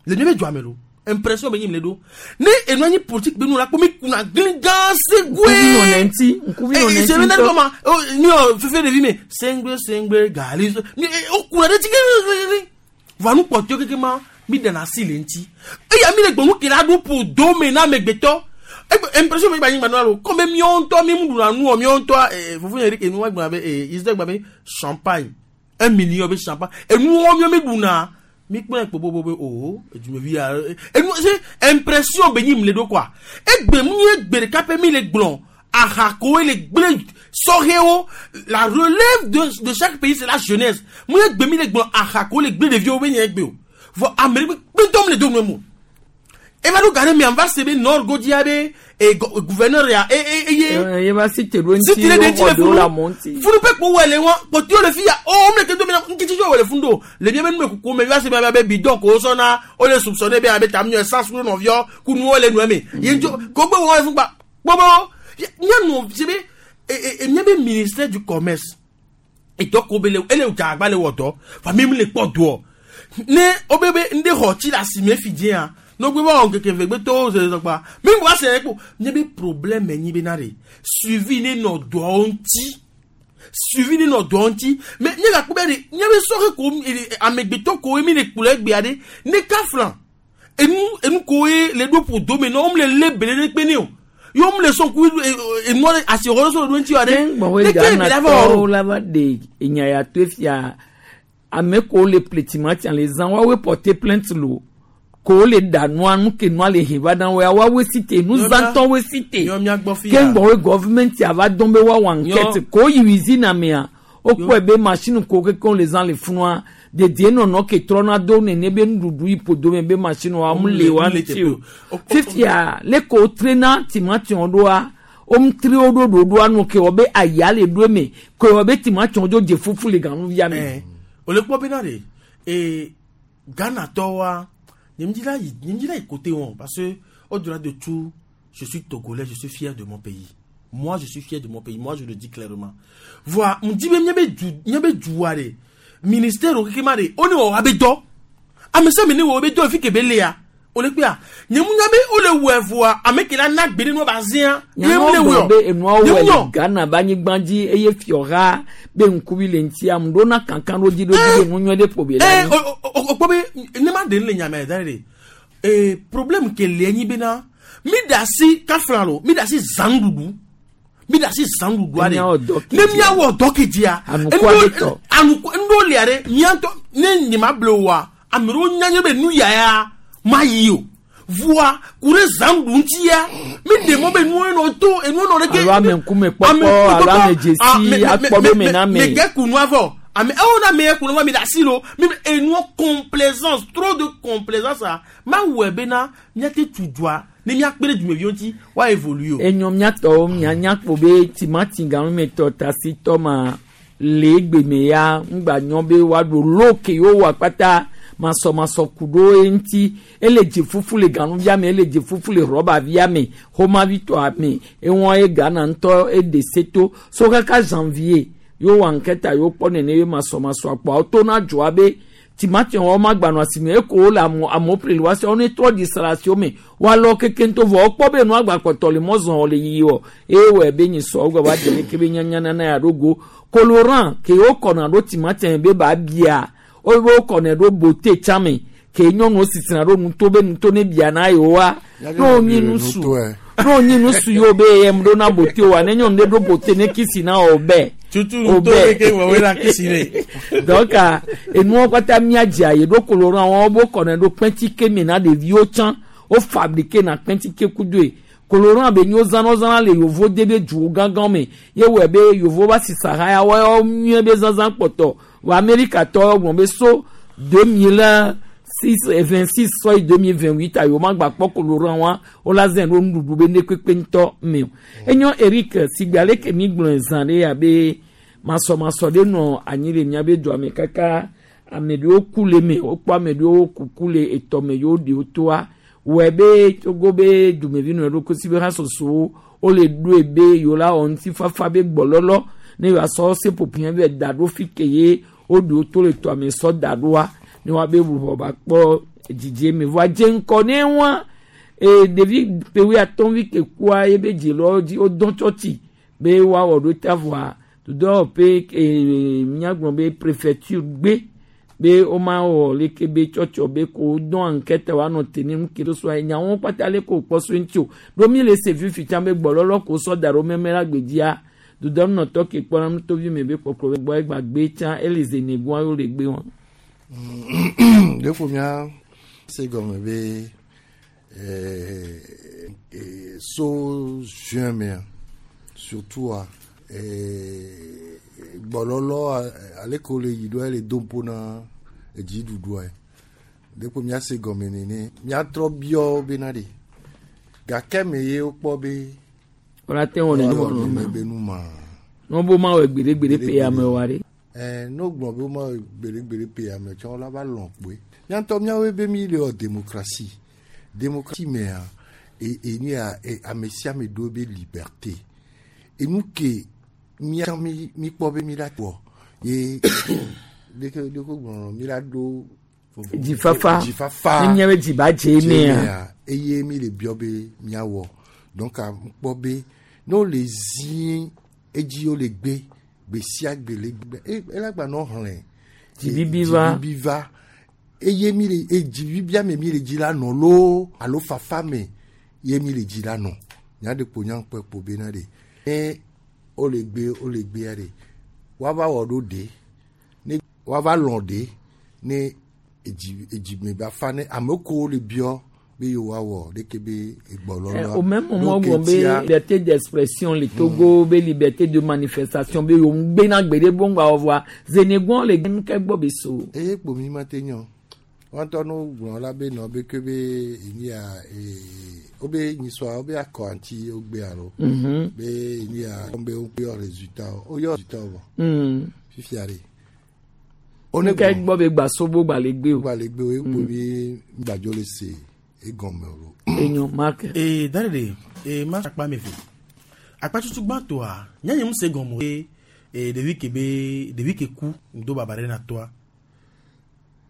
le mi be dzɔame lo impression be nyi mi le ɖo ne enu anyi politique be nu la kpɔ mi kuna gli gã segoe Ŋkuvi nɔ ne ŋuti. Ŋkuvi nɔ ne se ŋuti mi ŋutɔ. kɔma mi yɔ fefe ɖevi me sengbe sengbe gali so- mi e, o kuna ɖe tsi gli va nu kpɔtɔe keke ma mi ɖena asi le ŋuti eya mi le gbɔnu ke la ɖo ƒo do me na amegbetɔ egbe impression mi gba nyi gba nɔ alo kɔmi miawo ŋutɔ mi mu ɖuna nu o miawo ŋutɔ ee fofo nye ɖe ke nu wa gblɔ be ee israel gba be champagne un million be champagne enuwo miawo mi ɖuna mi kpɔnɛ kpo bobo be o edumevi ya enu se impression be nyi mi le ɖo quoi egbe mu nye gbe ɖeka ƒe mi le gblɔ aha koe le gble sɔhɛwo la relève de de chaque pays c'est la jeunesse mu nye gbe mi le gblɔ aha koe le gble ɖeviwo be nye gbe o vɔ ame ɖe kpetɔ mi le do nu mu eva ɖo ga ɖe mia va se be nord godzia be e go- gouverneur ya e e eye Ye va si te ɖo ŋuti. si ti ɖe ɖe ŋuti le Wowɔ ɖewo le funu amewo ŋuti. funu pe kpo wɔ le wa kpɔtiwo le fi ya o wo mle ke do mi na ŋkitsi wɔ le funu do le mia be numekuku me va se be be bidon ko sɔna wo le soupçonné be abe tam nyɔ essence ku nɔviɔ ku nuwo le nua me ye ŋutsu ko gbe wɔ le funu gba gbɔgbɔ mia nɔ se be e e e mia be ministère du commerce etɔ ko be le ele dza agba le wɔ dɔ fa mi mi le kpɔ doɔ ne wo be be ŋɖe xɔ tsi le asime fi dzia ne wo gbe va wɔ ŋkeke ve gbe to zɔzɔgba mi wa se kpo nye be problème nyi be na de suivi ne nɔ dɔawo ŋuti suivi ne nɔ dɔawo ŋuti mais nye gakpɔ be de nye be sɔhe ko e- e- amegbetɔ ko mi le kplɔ egbea de ne kafla enu enu ko ye le ɖo ƒo dome na wo le lé bele ɖe kpe ne o ye wo le sɔn ku enua ɖe asixɔ ɖe sɔ le ɖo ŋuti wa ɖe Gbɔn ne ke Ghana bi la va wɔ tɔwo la va ɖe enya ya to fia Ame ko le ple timati le zã woawoe porter plainte lo ko le da nua nu ke nua le he va na woa woawoe si te nuzãtɔwoe si te Nyɔ mía gbɔ fi ya. ke ŋgbɔ government ava dɔn be woawɔ enquête ko yi usine amea wokpɔe be machine ko kekeŋ le zã le funua dedienɔnɔ ke trɔna do nene be nuɖuɖu yi ƒodo me be machine wa mu le wa ŋuti o fifia le ko wotrena timatiwo ɖoa womtri wo ɖo ɖoɖoa nu ke wɔ be aya le ɖo eme ke wɔ be timatiwo dzo dze fufu le ganuvia me. O le kpɔ bena de ee Ghana tɔwoa nye me dzi la yi nye me dzi la yi côté wɔn parce que au-delà de tout je suis togolais je suis fier de mon pays moi je suis fier de mon pays moi je le dis clairement voa ŋdi be míabe du míabe dua de ministère wo keke ma de wo ne wɔ abe dɔ ame sia ame ne wɔ be dɔ fi ke be lea o le kpea nye mu nya be wo le wɔe voa ame ke la na gbe ne nua ba zia ye mu le nyanuwo wɔe gblɔ be enuawo Nye wɔ mu le nyɔ. Ghana be anyigba dzi eye fiɔha be ŋkuvi le ŋuti ame ɖewo na kankan ɖo dzi ɖo dzi be nu nyuie ɖe ƒo be la Eh, nyi. o o o kpɔ be ne ma de le nyame da de ee problème ke le nyi bena mi da si kafla lo mi da si zanɖuɖu mi da si zanɖuɖua de Míawɔ dɔ ne miawɔ dɔ ke dzia Anukua ɖe tɔ. anuku ŋɖo lia ɖe miatɔ ne nye ma ble oa ame ɖewo nya nye be nu ya ya ma yi o voa ku ɖe zanɖuɖu ŋutia mi ɖe mɔ be nuwo nɔ to enuwo nɔ ɖe ke Alo ame ŋkume kpɔkpɔ alo ame dzesi akpɔ ɖo me na me ame. kɛ kunu avɔ ame ewo na me kunu avɔ mi da si lo mi enuwo complaisance trop de complaisance a ma wɔe bena miate tu dua ne miakpe ɖe dumeviwo ŋuti wa évolue o. Enyɔ miatɔwo mianya kpo be timati ganumetɔ tasitɔ ma le egbe me ya ŋgba nyɔ be woaɖo lo ke yewo wɔ kpata masɔmasɔ ku ɖo eŋuti ele dze fufu le ganuvia me ele dze fufu le rɔbavia me xomavitɔa me ewɔn ye Ghana ŋutɔ eɖe seto so kaka janvier yewo wɔ enquête yewo kpɔ nene ye masɔmasɔ akpɔ to na dzoa be timati wɔn ma gbanɔ asime eko wo le amewo amewo ƒle le wa se wɔn ne trɔ di srasi wo me woalɔ keke ŋutɔ vɔ wokpɔ be nua gba kpɔtɔ le mɔzɔn le yiyi wɔ eye wɔ be nyi sɔ wogba va dze leke be nyanya nana ya ɖo go colorant ke wo kɔna ɖo timati me be ba bia wo be wo kɔnɛ ɖo bote tsã me ke nyɔnuwo sisina ɖo nuto be nuto ne bia na yewoa ne wo nyi nusu ne wo nyi nusu yiwo be yem ɖo na bote wa ne nyɔnu ɖe ɖo bote ne kisi na wo bɛ tutu nuto ɖe ke wɔwɔe la kisi ne. donc ah, enuwo kpata míadze ayi ɖo colorant wɔn wo kɔnɛ ɖo kpɛntike me na ɖeviwo tsã wo fabriqué na kpɛntike kudoe colorant be nyo zãna zãna le yovo de be duwo gãgã me ye wɔe be yovo va si sahaya wɔyɔ nyuie be zãzã kpɔtɔ wɔ amerikatɔ gblɔ be so deux mille six vingt six sɔ yi deux mille vingt huit ayi wo ma gba kpɔ colorant wa wo la zẽ ɖo nuɖuɖu be ne kpekpe ŋutɔ me o enyo Eric sigbe ale ke mi gblɔe zã ɖe abe masɔmasɔ ɖe nɔ anyi le miabe dua me kaka ame ɖewo ku le me wokpɔ ame ɖewo kuku le etɔ me yewo ɖewo toa wɔe be togo be dumevi nɔ ɖo kosi be hasosowo wole ɖoe be yewo la wɔ ŋutifafa be gbɔlɔlɔ ne yewoasɔ seƒoƒo be da ɖo fi ke ye woɖewo to le tɔa me sɔ da ɖoa ne woabe ʋuʋɔ ba kpɔ dzidzi me vɔa dze ŋkɔ ne wa ee ɖevi ƒe atɔ̃ vi ke kua ebe dzilawo dzi wodɔn tsɔtsi be woawɔ ɖo ta vɔa dodɔwɔƒe ee míagblɔ be préfecture gbe be woma wɔ leke be tsɔtsɔ be ko wodɔn enquête woanɔ te ne nu ke ɖo so nyawo kpata le ko kpɔ so ŋuti o ɖo mi le se fifi tsã be gbɔlɔlɔ ko sɔ da ɖo mɛmɛ la gbedzia dodɔnɔtɔ ke kpɔna nutovi me be kpɔkplɔ be gbɔ egba gbe tsã ele zenegoa yewo le gbe wɔn. ɖe ƒo mía se gɔme be eh, eh, so juin mea surtout a eh, gbɔlɔlɔ ale ko le yi ɖo ele do ƒo na edziɖuɖua ɖe ƒo mía se gɔme nene míatrɔ biɔ bena ɖe gake me ye wokpɔ be wòle te wɔ nene wɔ nene be nu ma ne wo ma wɔ gbeɖegbeɖe pe ame wa ɖe. ɛɛ n'o gblɔ be woma gbeɖegbeɖe pe ame tsɔ la va lɔn kpoe míatɔ míawoe be mi le wɔ démocratie démocratie mea e enu ya e ame sia ame ɖo be liberté enu ke mía mi mi kpɔ be mi la wɔ ye ɖeke ɖeke gblɔ mi la ɖo Dzifafa. dzifafa Ne míabe dzi ba dze mea. eye mi le biɔ be míawɔ donc a kpɔ be ne wole zi edzi wole gbe gbe sia gbe le gbe e ela gba nɔ xlẽ Dzibibi va. dzibibi va eye mi le e dzibibia me mi le dzi la nɔ loo alo fafa me ye mi le dzi la nɔ nya ɖe kpo nya kpɔ kpo bena ɖe ne wole gbe wole gbea ɖe woava wɔ ɖo ɖe ne woava lɔ̃ ɖe ne edzi edzime ba fa ne ame kewo le biɔ be yewoawɔ ɖeke be egbɔlɔlɔa. Au même moment où on liberté d'expression le Togo be liberté de manifestation be yo ngbe na gbede bon gba ovoa zenegon le nke gbo be so. Eye kpomi ma te nyɔ wọn tɔ no gblɔ la be nɔ be ke be enyi ya ee wobe nyisɔa wobe akɔ anti wogbe alo. Mhm. Be enyi ya be woyɔ résultat woyɔ résultat vɔ. Mm. Fifia ɖe. Nke gbɔ be gba sobo gba le gbe o. Gba le gbe o ekpo bi gbadzo le se egɔme o. Enyo Mark. Ee dare de ee ma akpa mi fe akpa tutu gbãtɔa nyanye mu se gɔme o ee ɖevi ke be ɖevi ke ku ŋdo baba ɖe na tɔa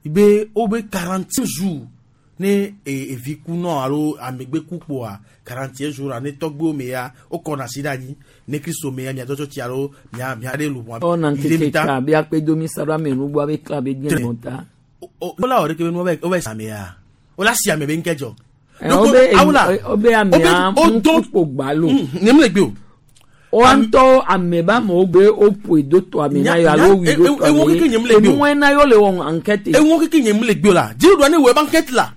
be wo be quarante jours ne ee evi ku nɔ alo amegbe ku kpoa quarante jours a ne tɔgbewo me ya wo kɔna asi ɖe anyi ne kristu me ya mia dɔtsɔ tsi alo mia mia ɖe lu Ɔna nkeke ka be akpedomi sa ɖo ame nugbɔ be kla be diɛ nɔ ta. wola wɔ ɖeke be nu wo bɛ same ya wola si ame be ŋkɛ dzɔ. Eh, obe obe amea ŋkukpo gbalo. Ne mu le gbe o. Woantɔ ame ba amewo be woƒoe do tɔ ame na yɔ alo wui do tɔ ewo keke nye mu le gbe o. ame. Enuwɔe na yɔ le wɔ enquête. Ewo keke nye mu le gbe o la dziɖuɖua ne wɔ ebe enquête la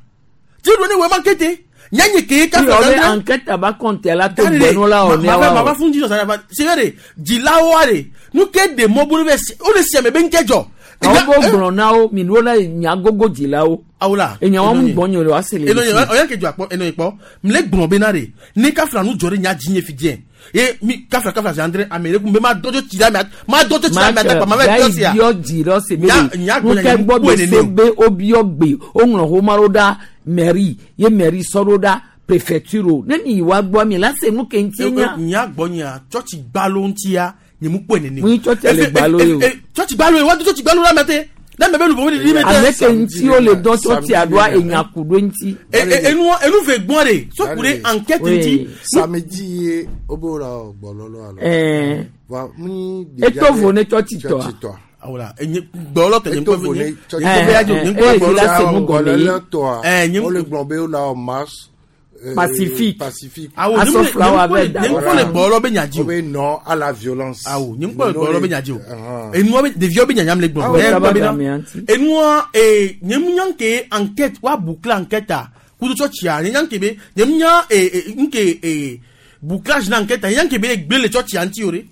dziɖuɖua ne wɔ ebe enquête nyanye ke Ti obe enquête aba compte la to gbɛnu la wɔ ne wa. wa. Ma fún jíjọ sáré c'est vrai dzilawoa de nu ke de mɔ bolo bɛ o de si ame be ŋkɛ dzɔ. Awo bo gblɔ na wo mi nu la nya gogo dzilawo. Awola. Enya wɔn mu gbɔ nyo le wa se le. Eno ye ɔyɛ kejɔ akpɔ eno ye kpɔ mle gblɔ bena de ne kafla nu dzɔ ɖe nya dzi nye fi diɛ ye mi kafla kafla zi andre ame ɖe kun be ma dɔdzɔ tsi ɖe ame ma dɔdzɔ tsi ɖe ame ata kpa ma va Gayi biɔ sia. biɔ dzi ɖe se be Nya- nya nu gblɔ ke nya gbɔ ŋku be ene se o. be wobiɔ gbe woŋlɔ xoma ɖo ɖa mairie ye mairie sɔ ɖo ɖa préfecture o ne mi yi wa gbɔ mi la se nu ke ŋuti nya. Nya gbɔ nya tsɔtsi gbalo ŋutia nye mu kpɔe nene o. Mu yi tsɔtsia le Efe- gbalo ye o. e- e- Tsɔtsi gbalo ye wa do tsɔtsi gbalo la ame te ne ame be lu vovo ɖiɖi me te. Ame ke ŋuti wo le dɔ tsɔtsia ɖoa enya ku ɖo ŋuti. E- e- Enua enu ve gbɔn de sɔku ɖe enquête ŋuti. Samedi ye wobe la wɔ gbɔlɔlɔ alo. Ɛɛ. Wa mu Eto vo ne tsɔtsi tɔa. Tsɔtsi tɔa. Awola enye gbɔlɔ tɛ nye Eto ŋkɔ vo ne nye tsɔtsi nye ŋkɔ be ya dzo nye ŋkɔ Eh, gbɔlɔ. eh, la se nu gɔme ye. Gbɔlɔlɔ tɔa. Eh, nye Wole gblɔ be wola wɔ marche. euh, Pacifique. Pacifique. Awo nye Aso mu le- flower nye ŋkɔ le- bɛ da. nye ŋkɔ le gbɔlɔ be nya dzi o. Wobe non à la violence. Awo nye ŋkɔ le gbɔlɔ be nya dzi o. Ahan. Enua be ɖeviwo be nyanyam le gblɔ. Awo Ne kaba gblɔ bena- gamea ŋuti. Enua ee nye mu nya nke enquête wa boucler enquête a kudo tsɔtsia nye nya nke be nye mu nya ee ee nke ee bouclage na enquête a nye nya nke be gble le tsɔtsia ŋuti o de.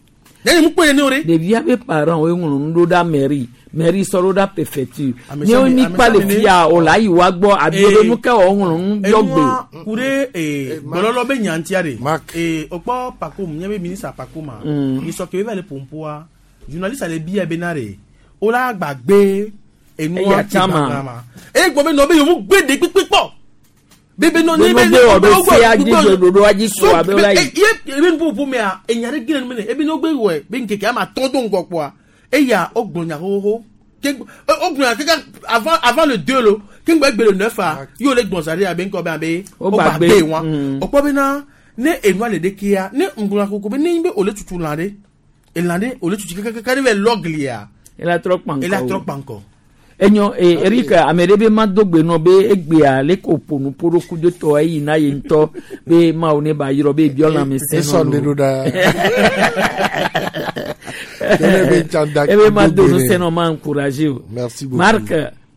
Nye nye mu kpɔe nene o de. Ɖevia be parents wo ŋlɔ nu ɖo ɖa mairie mairie sɔ ɖo ɖa préfecture. Ame Ne sia wo ame- mi ame kpa sia le ame ne- fia o la yi wa gbɔ abi Eh, be nu ke wɔ ŋlɔ nu biɔ gbe. Enua ku ɖe ee gbɔlɔlɔ be nya ŋutia de. Ee o kpɔ Pacom nye be ministre Pacom a. Mm. Nisɔ ke be va le pompoa journaliste le bia bena de o la gbagbe enua Eya ti tsã ma. gbagba ma. Eye gbɔ be nɔ be yevu gbe de kpekpe kpɔ. Bebe nɔ Be ne no be wɔ ɖo sea dzi gbe ɖoɖoa dzi So kpoa be be la yi. e ye ebe nuƒoƒo mea enya ɖe gile nu me ne ebe ne wogbe wɔe be ŋkeke ama atɔ̃ do ŋgɔ kpoa eya wogblɔ nya xoxoxo ke wogblɔ nya kaka avant avant le deux lo ke ŋgbɛ gbe le neuf a ye wole gbɔn za ɖe abe ŋkɔ be abe Wogba wogba gbe. gbe wa Mm. wokpɔ bena ne enua le ɖekea ne ŋgblɔ koko be ne nyi be wòle tutu lã ɖe elã ɖe wòle tutu kakakaka ɖe va lɔ glia Ela trɔ kpa ŋkɔ ela o. trɔ kpa ŋkɔ. Enyo eh, Eric ame ɖe be ma do gbe nɔ be egbea le ko ƒo nu ƒo ɖo kudo tɔ eyi na ye ŋutɔ be mawu ne ba yrɔ be ebiɔ lãme sẽ Esɔ nɔ ne lo. ɖo ɖa. Tele be tsã da ebe ma do gbe nu ne. sẽ nɔ ma encourager o. Merci beaucoup. Marc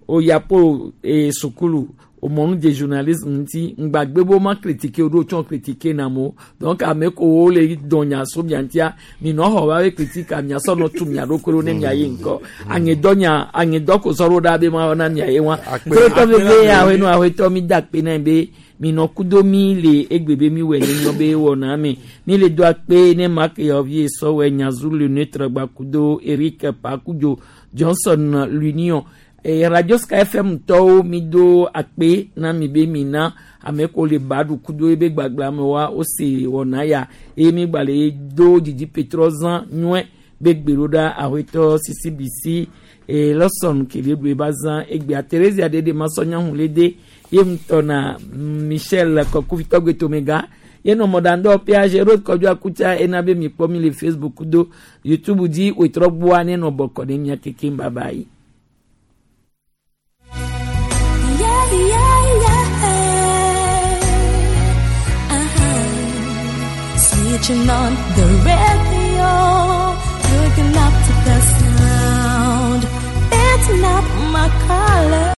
oyapo eh, sukulu omɔnu de journalisme ŋuti ŋgbagbe bo ma critique o ɖo tsɔ critique na mo donc ame kowo le dɔn nya so mia ŋutia minɔ xɔ va be critique mia sɔ nɔ tu mia ɖokui ɖo ne mia yi ŋkɔ aŋedɔ nya aŋedɔ ko sɔ ɖo ɖa be ma wɔ na mia ye wa tɔtɔ veve awenu awetɔ mi da akpe na be minɔ kudo mi le egbe be mi wɔ ne nyɔ be wɔna me mi le do akpe ne Marc Yɔvie sɔwɔ nyazu le neutre gba kudo Eric Pakudzo Johnson l'Union e radio Sky F M tɔwo mi do akpe na mi be mi na ame ko le ba ɖu kudo ebe gbagba me wa wose wɔna ya eye mi gba le do dzidzi petrɔ zã nyuie be gbe ɖo ɖa awetɔ C C B C e lɔsɔn kele ɖu eba zã egbea Theresia ɖeɖe masɔnya hu le de ye ŋutɔ na Michel Kɔkuvitɔgbe Tomega ye nɔ mɔɖaŋdɔ ƒea Gérard Kɔdzo Akutsa ena be mi kpɔ mi le Facebook do YouTube dzi wetrɔ gbɔa ne nɔ bɔkɔ ne mia kekem baba yi. Yeah, yeah, yeah. Uh-huh. Switching on the radio, looking up to